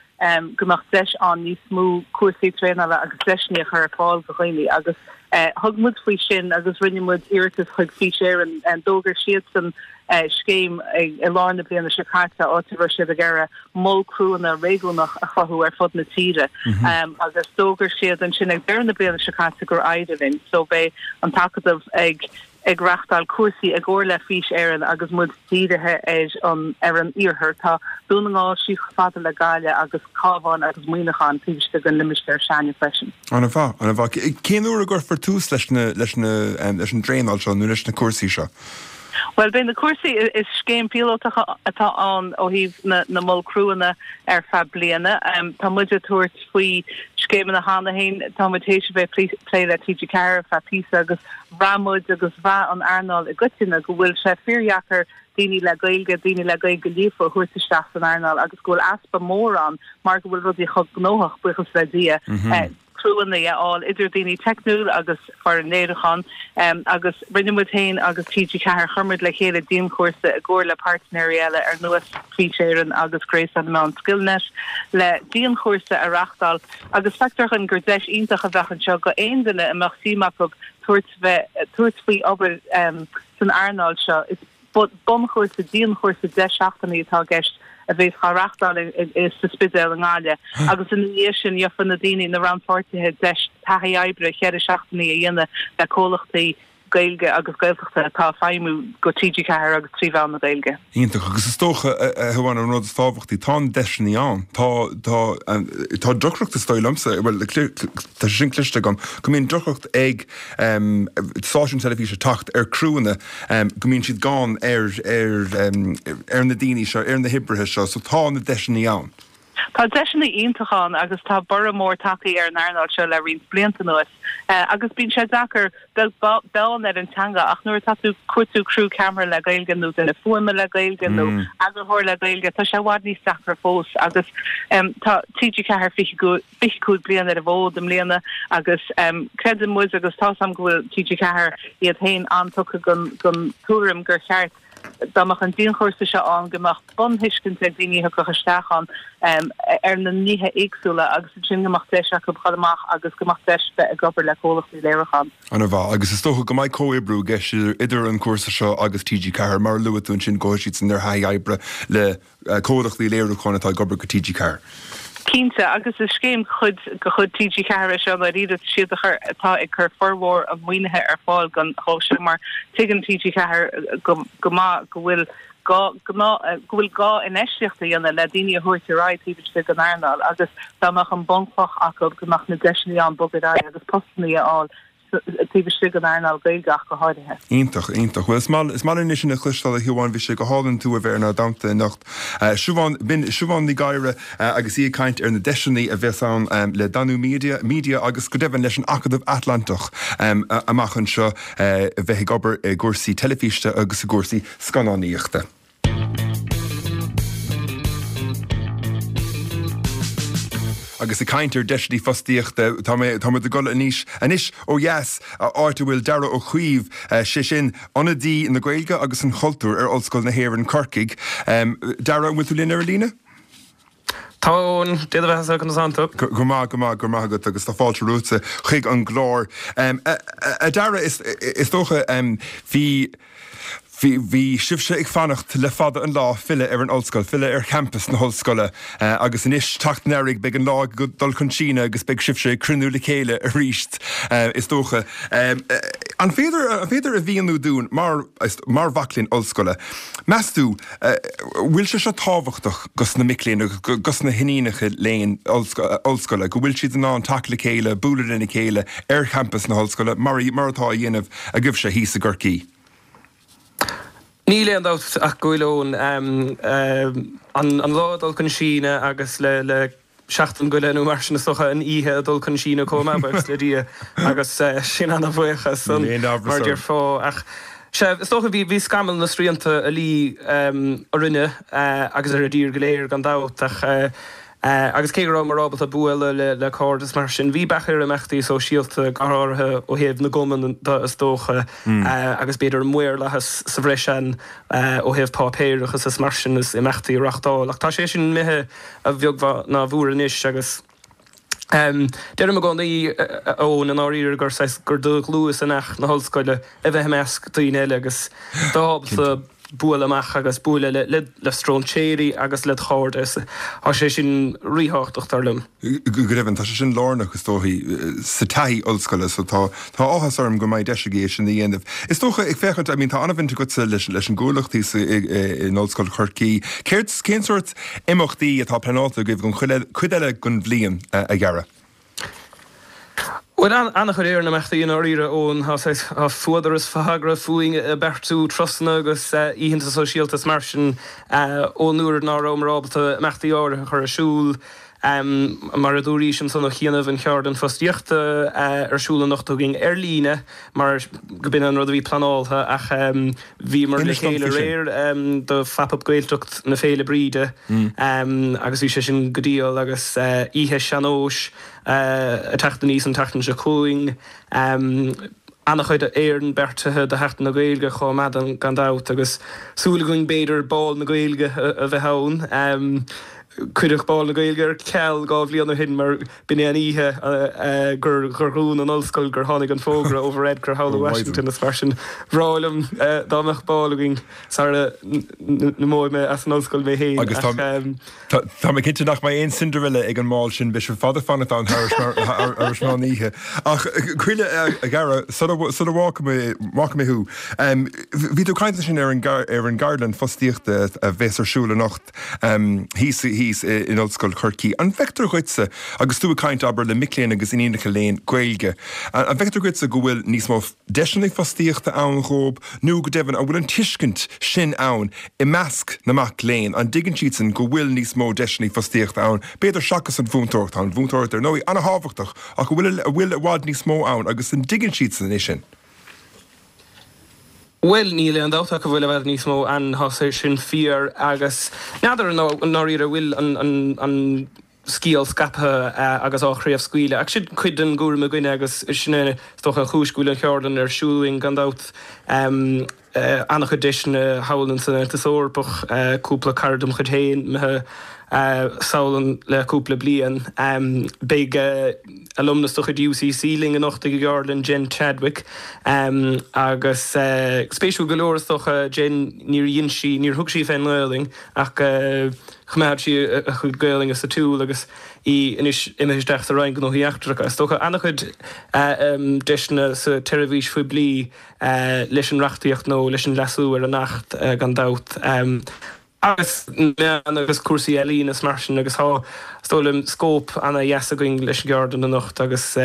go mbeadh deis ann níos mó cúrsaí traenála agus deiseanna a chur ar fáil do dhaoine agus thug muid faoi sin agus rinne muid iarratas chuig Fís Éireann. D'fhógair siadsan scéim i lár na bliana seo caite áit a raibh siad ag iarraidh mol criúanna réigiúnach a chruthú ar fud na tíre agus d'fhógair siad ansin ag deireadh na bliana seo caite gur éirigh linn so beidh an tAcadamh ag ag reachtáil cúrsaí i gcomhar le Fís Éireann agus muid dírithe ar an ar an iarthar. Tá Dún na nGall síos chomh fada le Gaillimh agus Cabhán agus Muineachán taobh istigh den limistéar s'againne freisin.
An-mhaith, an-mhaith. Cén uair a gcuirfear tús leis na leis na leis an dtraenáil seo nó leis na cúrsaí seo?
Bhuel, beidh na cúrsaí, is scéim phíolótach atá ann ó thaobh na na mol criúanna ar feadh bliana. Tá muid ag tabhairt faoi scéimeanna cheana féin, tá muid théis a bheith ag plé le TG4 ar feadh píosa agus Bhraith muid agus bhraith an earnáil i gcoitinne go bhfuil sé fíordheacair daoine le Gaeilge, daoine le Gaeilge líofa a thabhairt isteach san earnáil agus go bhfuil easpa mór ann mar go bhfuil rudaí chomh gnóthach, buíochas le Dia, criúanna a fháil idir daoine teicniúil agus foireann léiriúcháin agus rinne muid féin agus TG4, chuir muid le chéile dianchúrsa i gcomhar le páirtnéirí eile ar nós Fís Éireann agus Gréasán na Meán Skillnet le dianchúrsa a reachtáil Agus feictear dhúinn gur deis iontach a bheadh anseo go aon duine a mbeadh suim acu tabhairt bheith tabhairt faoi obair san earnáil seo. Is bunchúrsa, dianchúrsa 10 seachtainí atá i gceist a bheas á reachtáil sa Spidéal i nGaillimh agus ina dhiaidh sin gheofa na daoine, na rannpháirtithe deis taithí oibre cheithre seachtainí a dhéanamh le comhlachtaí Gaeilge agus Gaeltachta atá ag feidhmiú go TG4 agus trí mheán na Gaeilge.
Iontach. Agus is dócha, a Shiobhán, an rud is tábhachtaí, tá na deiseanna ann. Tá, tá, tá deacracht is dóigh liomsa, bhuel, tá sé sin cloiste agam, go mbíonn deacracht ag stáisiúin teilifíse teacht ar criúanna, go mbíonn siad gann ar, ar, ar na daoine seo, ar na hoibrithe seo. So tá na deiseanna ann.
Tá deiseanna iontacha ann agus tá borradh mór tagtha ar an earnáil seo le roinnt blianta anuas agus bíonn sé deacair beag beann ar an teanga ach nuair atá tú ag cuartú criú ceamara le Gaeilge nó duine fuaime le Gaeilge nó eagarthóir le Gaeilge tá sé i bhfad níos deacra fós agus tá TG4 25 bliain ar an bhfód i mbliana agus creideann muid agus tá's agam go bhfuil TG4 iad féin an-tugtha don tuairim gur cheart dá mbeadh an dianchúrsa seo ann go mbeadh bunthuiscint ag daoine a thiocfadh isteach ann ar na nithe éagsúla agus ansin go mbeadh deis acu dhul amach agus go mbeadh deis bheith ag obair le comhlachtaí léiriúcháin.
An-mhaith. Agus is dócha go mbeidh comhoibriú i gceist idir an cúrsa seo agus TG4, mar a luaigh tú ansin, gabhfaidh siadsan ar thaithí oibre le comhlachtaí léiriúcháin atá ag obair go TG4.
Cinnte, agus is scéim chuid de chuid TG4 é seo ndáiríre, is iad a chur, atá ag cur formhór an mhaoinithe ar fáil don dhó seo mar tuigeann TG4 go go maith go bhfuil gá go bhfuil gá infheistíocht a dhéanamh le daoine a thabhairt ar aghaidh taobh istigh den earnáil agus dá mbeadh an bunchloch acu go mbeadh na deiseanna ann bogadh ar aghaidh agus postanna a fháil taobh istigh den earnáil Gaeilge ach go háirithe.
Iontach, iontach. Bhuel, is maith, is maith linn é sin a chloisteáil a Shiobhán, bhí sé go hálainn tú a bheith inár dteannta anocht. Siobhán, b'in Siobhán Ní Ghadhra agus í ag caint ar na deiseanna a bheas ann le Danú Media, Media agus go deimhin leis an Acadamh Atlantach amach anseo a bheith ag obair i gcúrsaí teilifíse agus i gcúrsaí scannánaíochta. Agus ag caint ar deiseanna fostaíochta, tá mé, tá muid ag dul anois, anois ó dheas, áit a bhfuil Darragh Ó Caoimh, sé sin, Ionadaí na Gaeilge agus an Chultúir ar Ollscoil na hÉireann, Corcaigh. Darragh, an bhfuil tú linn ar an líne?
Tá a Eoin, Dé do bheatha-sa, conas tánn tú?
Go maith, go maith, go raibh maith agat agus tá fáilte romhatsa chuig an gclár. A Darragh, is dócha, bhí, bhí, bhí sibhse ag fanacht le fada an lá filleadh ar an ollscoil, filleadh ar champas na hollscoile agus anois, teacht an earraigh, beidh an lá ag dul chun síneadh agus beidh sibhse ag cruinniú le chéile arís, is dócha. An féidir, an féidir a mhíniú dúinn mar, mar mhac léinn ollscoile, meas tú, Bhfuil sé seo tábhachtach dos na mic léinn agus dos na hiníonacha léinn ollscoile, go bhfuil siad in ann teacht le chéile, bualadh lena chéile ar champas na hollscoile mar mar atá á dhéanamh agaibhse thíos i gCorcaigh?
Níl aon dabht ach go bhfuil, Eoin. An lá ag dul chun síneadh agus le seachtain go leith nó mar sin is dócha, an oíche ag dul chun síneadh chomh maith, buíochas le Dia, agus sin ana-bhuíoch as san, mar a déarfá. Ach sea, is dócha, bhí scamall na srianta ag luí orainne agus ar an dtír go léir gan dabht, ach agus cé go rabhamar ábalta bualadh le cairde is mar sin, bhí bac ar imeachtaí sóisialta, go háirithe ó thaobh na gcumann de is dócha, agus b'fhéidir an maorlathas sa bhreis ann ó thaobh páipéarachas is mar sin is imeachtaí a reachtáil. Ach tá sé sin imithe. a bheag ná a mhór anois agus deirim i gcónaí, a Eoin, i ndáiríre gur saghas, gur do dhlúth is each na hollscoile a bheith i measc daoine eile agus bheith ábalta bualadh amach agus bualadh le le stróinséirí agus led chairde. Tá sé sin ríthábhachtach, dar liom.
Go deimhin, tá sé sin lárnach, is dóichí, sa taithí ollscoile, so tá tá áthas orm go mbeidh deis agaibh é sin a dhéanamh. Is dócha, ag féachaint, I mean, tá an-bhaint agatsa leis leis an gCuallacht thíos in Ollscoil Chorcaí. Céard, cén sórt imeachtaí atá pleanáilte agaibh don chuid eile den bhliain, a Dhara?
Bhuel, an-chuid ar na imeachtaí i ndáiríre, Eoin. Tá saghas, tá fuadar is fadhagra fúinn ag beartú turasanna agus oícheanta sóisialta is mar sin ón uair ná rabhamar ábalta imeachtaí áirithe a chur ar siúl. Mar a dúraís ansan ó chianaibh, an cheardlann fostaíochta ar siúl anocht againn ar líne mar go b'in an rud a bhí pleanáltha ach bhíomar le chéile aréir do Phop Up Gaeltacht na Féile Bríde agus bhí sé sin go diail agus oíche sean-nóis ag teacht aníos an tseachtain seo chugainn. An-chuid Éireann beartaithe do Sheachtain na Gaeilge chomh maith gan dabht agus súil againn b'fhéidir Bál na Gaeilge a bheith ann. Cuireadh Bál na Gaeilge ar ceal 2 bhliain ó shin mar b'in é an oíche gur dhún an ollscoil, gur tháinig an fógra ó Varadkar thall ó Washington is mar sin. Bhreá liom dá mbeadh bál againn sara n-imeoidh mé as an ollscoil mé féin
ach. Tá mé cinnte nach mbeidh aon Cinderella ag an mbál sin, beidh sibh fada ag fanacht ann thar éis meán oíche. Ach cuimhnigh, a Dhara, sula bhfágfaidh mé thú, bhí tú ag caint ansin ar an gceardlann fostaíochta a bheas ar siúl anocht thíos thíos in Ollscoil Chorcaí. An bhfeictear dhuitse, agus tú ag caint, abair, le mic léinn agus iníonacha léinn Gaeilge, an bhfeictear dhuitse go bhfuil níos mó deiseanna fostaíochta ann dhóibh nó go deimhin an bhfuil an tuiscint sin ann i measc na mac léinn, an dtuigeann siadsan go bhfuil níos mó deiseanna fostaíochta ann, b'fhéidir seachas an mhúinteoireacht? Tá an mhúinteoireacht ar ndóigh an-thábhachtach ach an bhfuil an bhfuil i bhfad níos mó ann agus an dtuigeann siadsan é sin?
Bhuel, níl aon dabht ach go bhfuil i bhfad níos mó ann, tá sé sin fíor agus n'fheadar i ndáiríre an bhfuil an scéal scaipthe agus á chraobhscaoileadh. Ach sin cuid den gcúram againne agus sin é is dócha an chúis go bhfuil an cheardlann ar siúl againn gan dabht. An-chuid deiseanna thall ins an Aontas Eorpach, cúpla cara dem chuid féin imithe sall ann le cúpla bliain. Beidh alumnus de chuid UCC linn anocht ag an gceardlann, Jen Chadwick, agus spéisiúil go leor is dócha, Jen, níor dhein sí, níor thug sí fén nGaelainn ach choimeád sí a cuid Gaelainne sa tsiúl agus í anois imithe isteach sa Roinn Gnóthaí Eachtracha. Is dócha an-chuid deiseanna sa tseirbhís phoiblí leis an reachtaíocht nó leis an leasú ar an Acht gan dabht. Agus na meáin agus cúrsaí ealaíne is mar sin agus tá, is dóigh liom, scóip ana-dheas againn leis an gceardlann anocht agus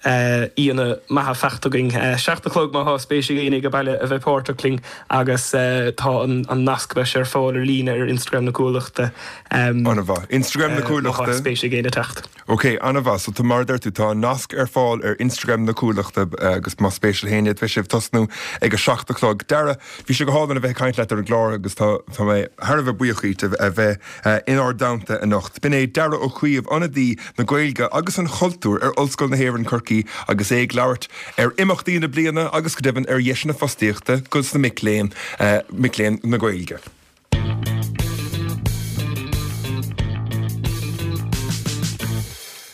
aíonna maithe faighte againn. 7 a chlog má tá spéis ag éinne ag baile a bheith páirteach linn agus tá an nasc beidh sé ar fáil ar líne ar Instagram na Cuallachta.
An-mhaith. Instagram na Cuallachta.
Má tá spéis ag éinne teacht.
Ok, an-mhaith. So tá, mar a deir tú, tá an nasc ar fáil ar Instagram na Cuallachta agus más spéis le héinne, beidh sibh ag tosnú ag a 7 a chlog. Dara, bhí sé go hálainn a bheith ag caint leat ar an gclár agus tá tá mé thar a bheith buíoch díot a bheith inár dteannta anocht. B'in é Dara Ó Caoimh, ionadaí na Gaeilge agus an Chultúir ar Ollscoil na hÉireann Corcaigh agus é ag labhairt ar imeachtaí na bliana agus go deimhin ar dheiseanna fostaíochta dos na mic léinn, mic léinn na Gaeilge.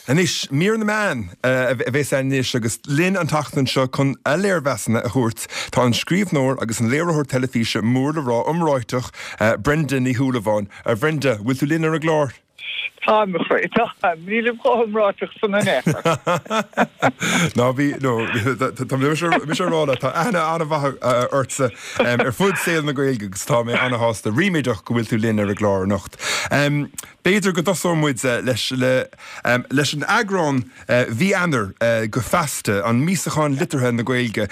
Anois, mír na meán a bheas ann anois agus linn an tseachtain seo chun a léirmheasanna a thabhairt tá an scríbhneoir agus an léiritheoir teilifíse mór le rá iomráiteach Brenda Ní Shúilleabháin. A Bhrenda, bhfuil tú linn ar an gclár?
Táim, a chroí, táim. Nílim chomh hiomráiteach san in aon chor.
Ná bí, no, tá mise ag rá leat, tá aithne an-mhaith ortsa ar fud saol na Gaeilge agus tá mé an-shásta, ríméadach go bhfuil tú linn ar an gclár anocht. B'fhéidir go dtosóidh muid leis leis an eagrán mhí Eanáir de Feasta, an míosachán liteartha na Gaeilge,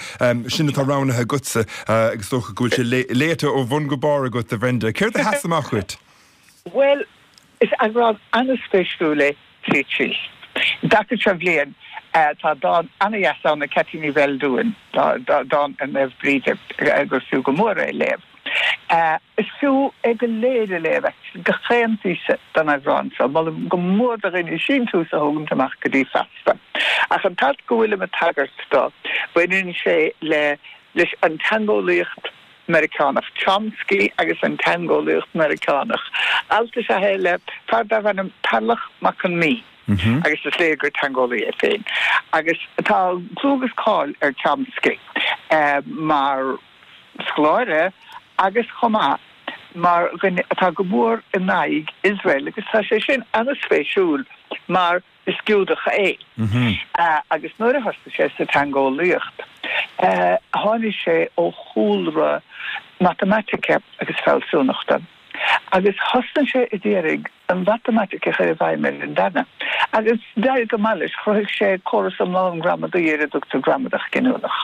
sin atá roghnaithe agatsa agus is dócha go bhfuil sé léite ó bhun go barr agat, a Bhrenda. Céard a sheas amach dhuit?
Bhuel, is eagrán an-spéisiúil é tríd síos. An dtaca seo bhliain tá dán an-dheas ann ag Ceaití Ní Bheildiúin, dán ar Naomh Bríde, gur fiú go mór é a léamh. Is fiú é go léir a léamh, actually, gach aon phíosa den eagrán seo. Molaim go mór do dhaoine síntiús a thógaint amach go dtí Feasta. Ach an t-alt go bhfuilim ag tagairt dó, baineann sé le leis an teangeolaíocht Meiriceánach, Chomsky agus an teangeolaíocht Mheiriceánach. Alt is ea é le fear darbh ainm Tarlach Mac Con Mí, agus is léir gur teangeolaí é féin. Agus tá clú agus cáil ar Chomsky mar scoláire agus chomh maith mar dhuine atá go mór in aghaidh Iosrael, agus tá sé sin an-spéisiúil mar Is Giúdach é. Agus nuair a thosaigh sé sa teangeolaíocht, tháinig sé ó chúlra matamaitice agus fealsúnachta. Agus thosnaigh sé ag iarraidh an mhatamaitic a chur i bhfeidhm ar an dteanga. Agus d'éirigh go maith leis, chruthaigh sé córas iomlán gramadaí ar a dtugtar gramadach giniúnach.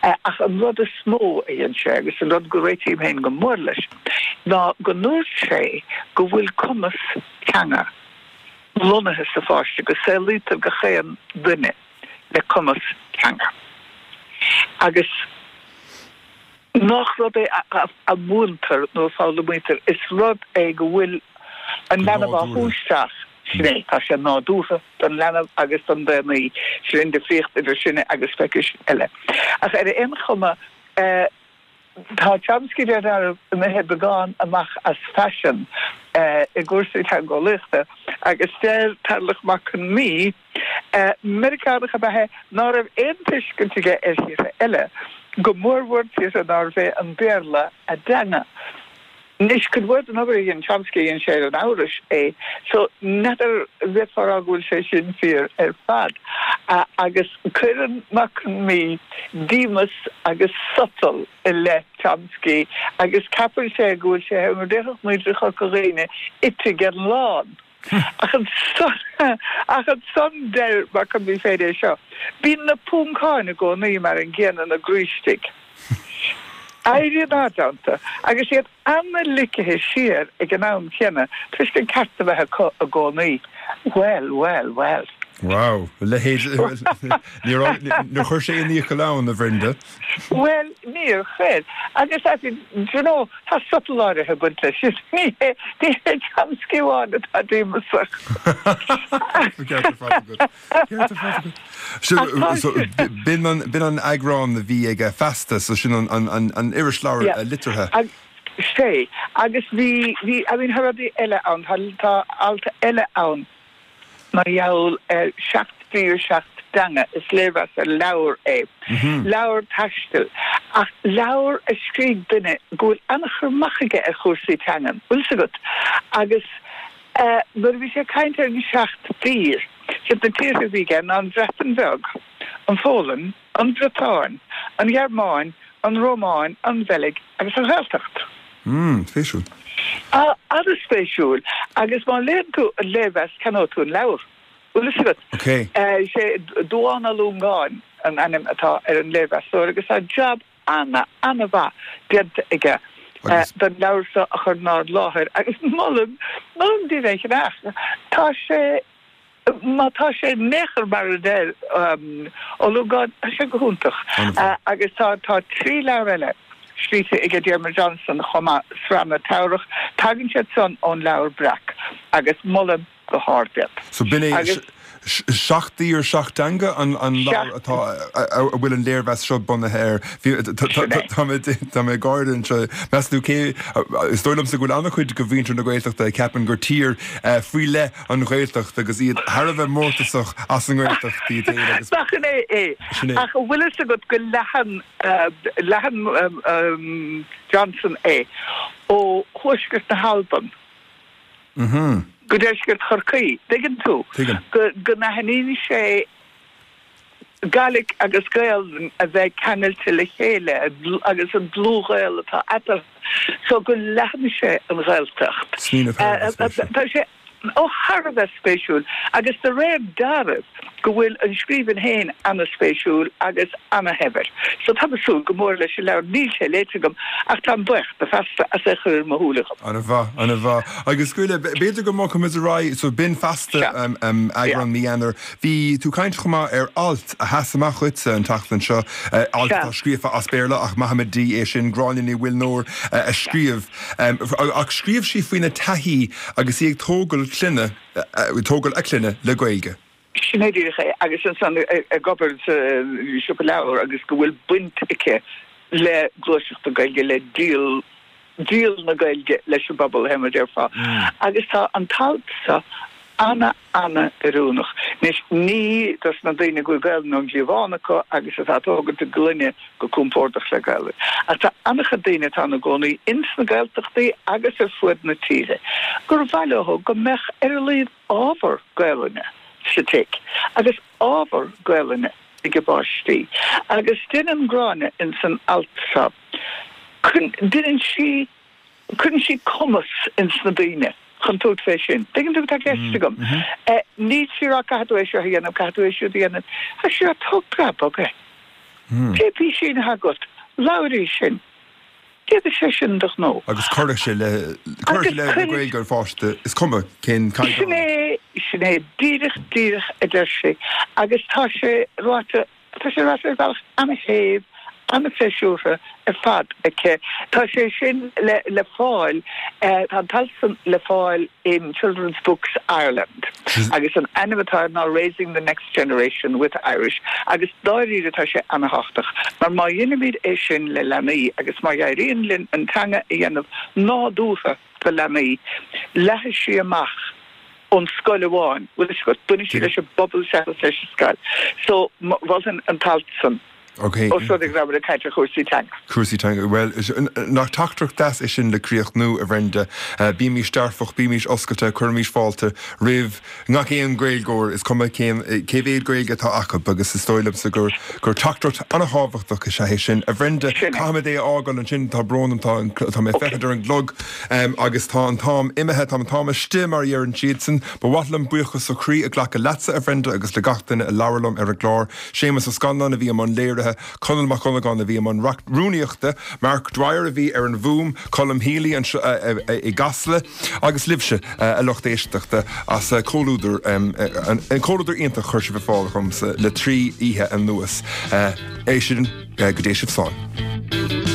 Ach an rud is mó a dhein sé, agus an rud go réitím féin go mór leis, ná go ndúirt sé go bhfuil cumas teanga, lonnaithe sa pháiste, go saolaítear gach aon duine le cumas teanga agus nach rud é a mhúintear nó a foghlaimítear, is rud é go bhfuil an leanbh á shú isteach, sin é, tá sé nádúrtha don leanbh agus don daonnaí, sin an difríocht idir sinne agus speicis eile. Ach ar aon chuma, Tá Chomsky ar deireadh imithe beagán amach as faisean i gcúrsaí teangeolaíochta agus deir Tarlach Mac Con Mí, Meiriceánach ab ea é, ná raibh aon tuiscint aige ar thíortha eile, go mórmhór tíortha nárbh é an Béarla a dteanga. Anois, cuid mhór den obair a dhein Chomsky, dhein sé ar an Eabhrais é, so n'fheadar an bhféadfá a rá go bhfuil sé sin fíor ar fad. Agus cuireann Mac Con Midhe díomas agus sotal i leith Chomsky agus ceapann sé go bhfuil sé, mar a déarfadh muintir Chorca Dhuibhne, ite den lán. Ach ansan, ach ansan deir Mac Con Midhe féin é seo, Bíonn na Poncáin i gcónaí mar an gcéanna ina gcroí istigh. Éiríonn iontu agus iad ana-ligthe siar ag an am céanna toisc an ceart a bheith acu i gcónaí. Bhuel, bhuel, bhuel.
Wow, a leithéid, níor chuir sé aon fhiacail ann, a Bhrenda.
Bhuel, níor chuir. Agus, I mean, do you know, tá sotal áirithe ag baint leis sin. Ní hé, ní hé Chomsky amháin atá díomasach.
Ceart ar fad agat. Ceart ar fad agat. So, b'in an, b'in an eagrán a bhí ag Feasta, so sin an, an, an, an irisleabhar
Yeah.
liteartha.
Ag, sé. Agus bhí, bhí, I mean, tá rudaí eile ann, tá, tá alt eile ann. Mar gheall ar 7 dtír 7 dteanga, is léirmheas ar leabhar é. Leabhar taistil, ach leabhar a scrígh duine go bhfuil an-chur amach aige ar chúrsaí teangan, bhfuil 's agat. Agus nuair a bhí sé ag caint ar an seacht dtír, siad na tíortha a bhí aige ná an Bhreatain Bheag, an Pholainn, an Bhriotáin, an Ghearmáin, an Rómáin, an Bheilg agus an Ghaeltacht.
Mm, spéisiúil.
Ah, an-spéisiúil. Agus má léann tú an léirmheas, ceannóidh tú an leabhar. Bhfuil fhios agat?
Ok.
Is é Dubhán Ó Longáin an ainm atá ar an léirmheastóir agus tá jab ana, ana-mhaith déanta aige don leabhar seo a chur inár láthair agus molaim, molaim daoibh é a cheannach. Tá sé. Má tá sé in aon chor mar a deir Ó Longáin, tá sé go hiontach. Agus tá tá 3 leabhar eile scríte aige Diarmuid Johnson chomh maith, Sraith na Teamhrach, tagann siad san ón Leabhar Breac agus molaim go hard iad.
So b'in é 7 dtír 7 dteanga an leabhar atá a bhfuil an léirmheas seo bunaithe air. Tá mé tá mé ag gáire anseo. Meas tú cé is dóigh liomsa go bhfuil an-chuid de mhuintir na Gaeltachta a ceapann gur tír faoi leith an Ghaeltacht agus iad thar a bheith mórtasach as an nGaeltacht iad féin agus.
Nach in é é?
Sin é.
Ach an bhfuil fhios agat go leathann, leathann Johnson é ó thuaisceart na hAlban go deisceart Chorcaí, dtuigeann tú?
Tuigim.
Go, go n-aithníonn sé Gaidhlic agus Gaelainn a bheith ceangailte le chéile agus an dlúthghaol atá eatarthu so go leathann sé an Ghaeltacht.
Smaoineamh thar a bheith spéisiúil.
Tá sé ó thar a bheith spéisiúil agus de réir dealraimh go bhfuil an scríbhinn féin ana-spéisiúil agus ana-shaibhir. So táim ag súil go mór leis an leabhar. Níl sé léite agam ach táim buíoch do Feasta as é chur ar mo shúile dhom.
Ana-mhaith, ana-mhaith. Agus Goile, b'fhéidir go mbogfaimid ar aghaidh, so b'in Feasta, eagrán mí Eanáir. Bhí tú ag caint chomh maith ar alt a sheas amach dhuitse an tseachtain seo, alt atá scríofa as Béarla ach maithfimid di é sin, Gráinne Ní Mhuilneoir a scríobh. Ach scríobh sí faoina taithí agus í ag tógáil clainne, tógáil a clainne le Gaeilge.
Sin é díreach é agus ansan ag obair sa siopa leabhar agus go bhfuil baint aici le gluaiseacht na Gaeilge, le díol, díol na Gaeilge leis an bpobal, fé mar a déarfá. Agus tá an t-alt seo ana, ana-oiriúnach. Anois, ní dos na daoine go bhfuil Gaelainn ón gcliabhán acu agus atá ag tógaint a gclainne go compordach le Gaelainn. Ach tá ana-chuid daoine atá ina gcónaí ins na Gaeltachtaí agus ar fuaid na tíre gur mhaith leo go mbeadh ar a laghad ábhar Gaelainne sa tigh agus ábhar Gaelainne ag a bpáistí. Agus deineann Gráinne ins an alt seo, deineann sí, cuireann sí cumas ins na daoine chun tabhairt fé sin. Tuigeann tú cad tá i gceist agam? Níl sí ag rá caithfidh tú é seo a dhéanamh, caithfidh tú é siúd a dhéanamh. Tá sí ag rá tóg preab bog é. Pé písín atá agat, labhair í sin. Déanfaidh sé sin do ghnó.
Agus cuirfidh sé le, cuirfidh sé le le Gaeilge an pháiste, is cuma cén caighdeán.
Sin é, sin é díreach, díreach a deir sí. Agus tá sé ráite Tá sé ráite ar bhealach an-shéimh, an-phléisiúrtha ar fad aici. Tá sé sin le le fáil, tá an t-alt san le fáil in Children's Books Ireland agus an ainm atá air ná Raising the Next Generation with Irish agus dáiríre tá sé an-thábhachtach mar má dheinimid é sin le leanaí agus má éiríonn linn an teanga a dhéanamh nádúrtha do leanaí, leathfaidh sí amach ón scoil amháin, bhfuil fhios agat, bainfidh sí leis an bpobal seachas leis an scoil. So, mholfainn an t-alt san.
Ok.
Ós rud é go raibh muid ag caint ar chúrsaí teanga.
Cúrsaí teanga. Bhuel, nach teachtaireacht deas é sin le críochnú, a Bhrenda. Bímís dearfach, bímís oscailte, cuirimís fáilte roimh ngach aon Ghaeilgeoir, is cuma cén, cé mhéad Gaeilge atá acu agus is dóigh liomsa gur, gur teachtaireacht an-thábhachtach is ea é sin. A Bhrenda, caithfimid é a fhágáil ansin, tá brón orm, tá, tá mé ag féachaint ar an gclog agus tá an t-am imithe, tá an t-am istigh mar a dheireann siadsan. Ba mhaith liom buíochas ó chroí a ghlacadh leatsa, a Bhrenda, agus le gach duine a labhair liom ar an gclár. Séamus Ó Scanláin a bhí i mbun léirithe, Conall Mac Dhonnagáin a bhí i mbun rúnaíochta, Mark Dwyer a bhí ar an bhfuaim, Colm Healy anseo i gCasla, agus libhse, a lucht éisteachta, as comhluadar, an comhluadar iontach a chuir sibh ar fáil dhomsa le 3 oíche anuas. É sin, go dté sibh slán.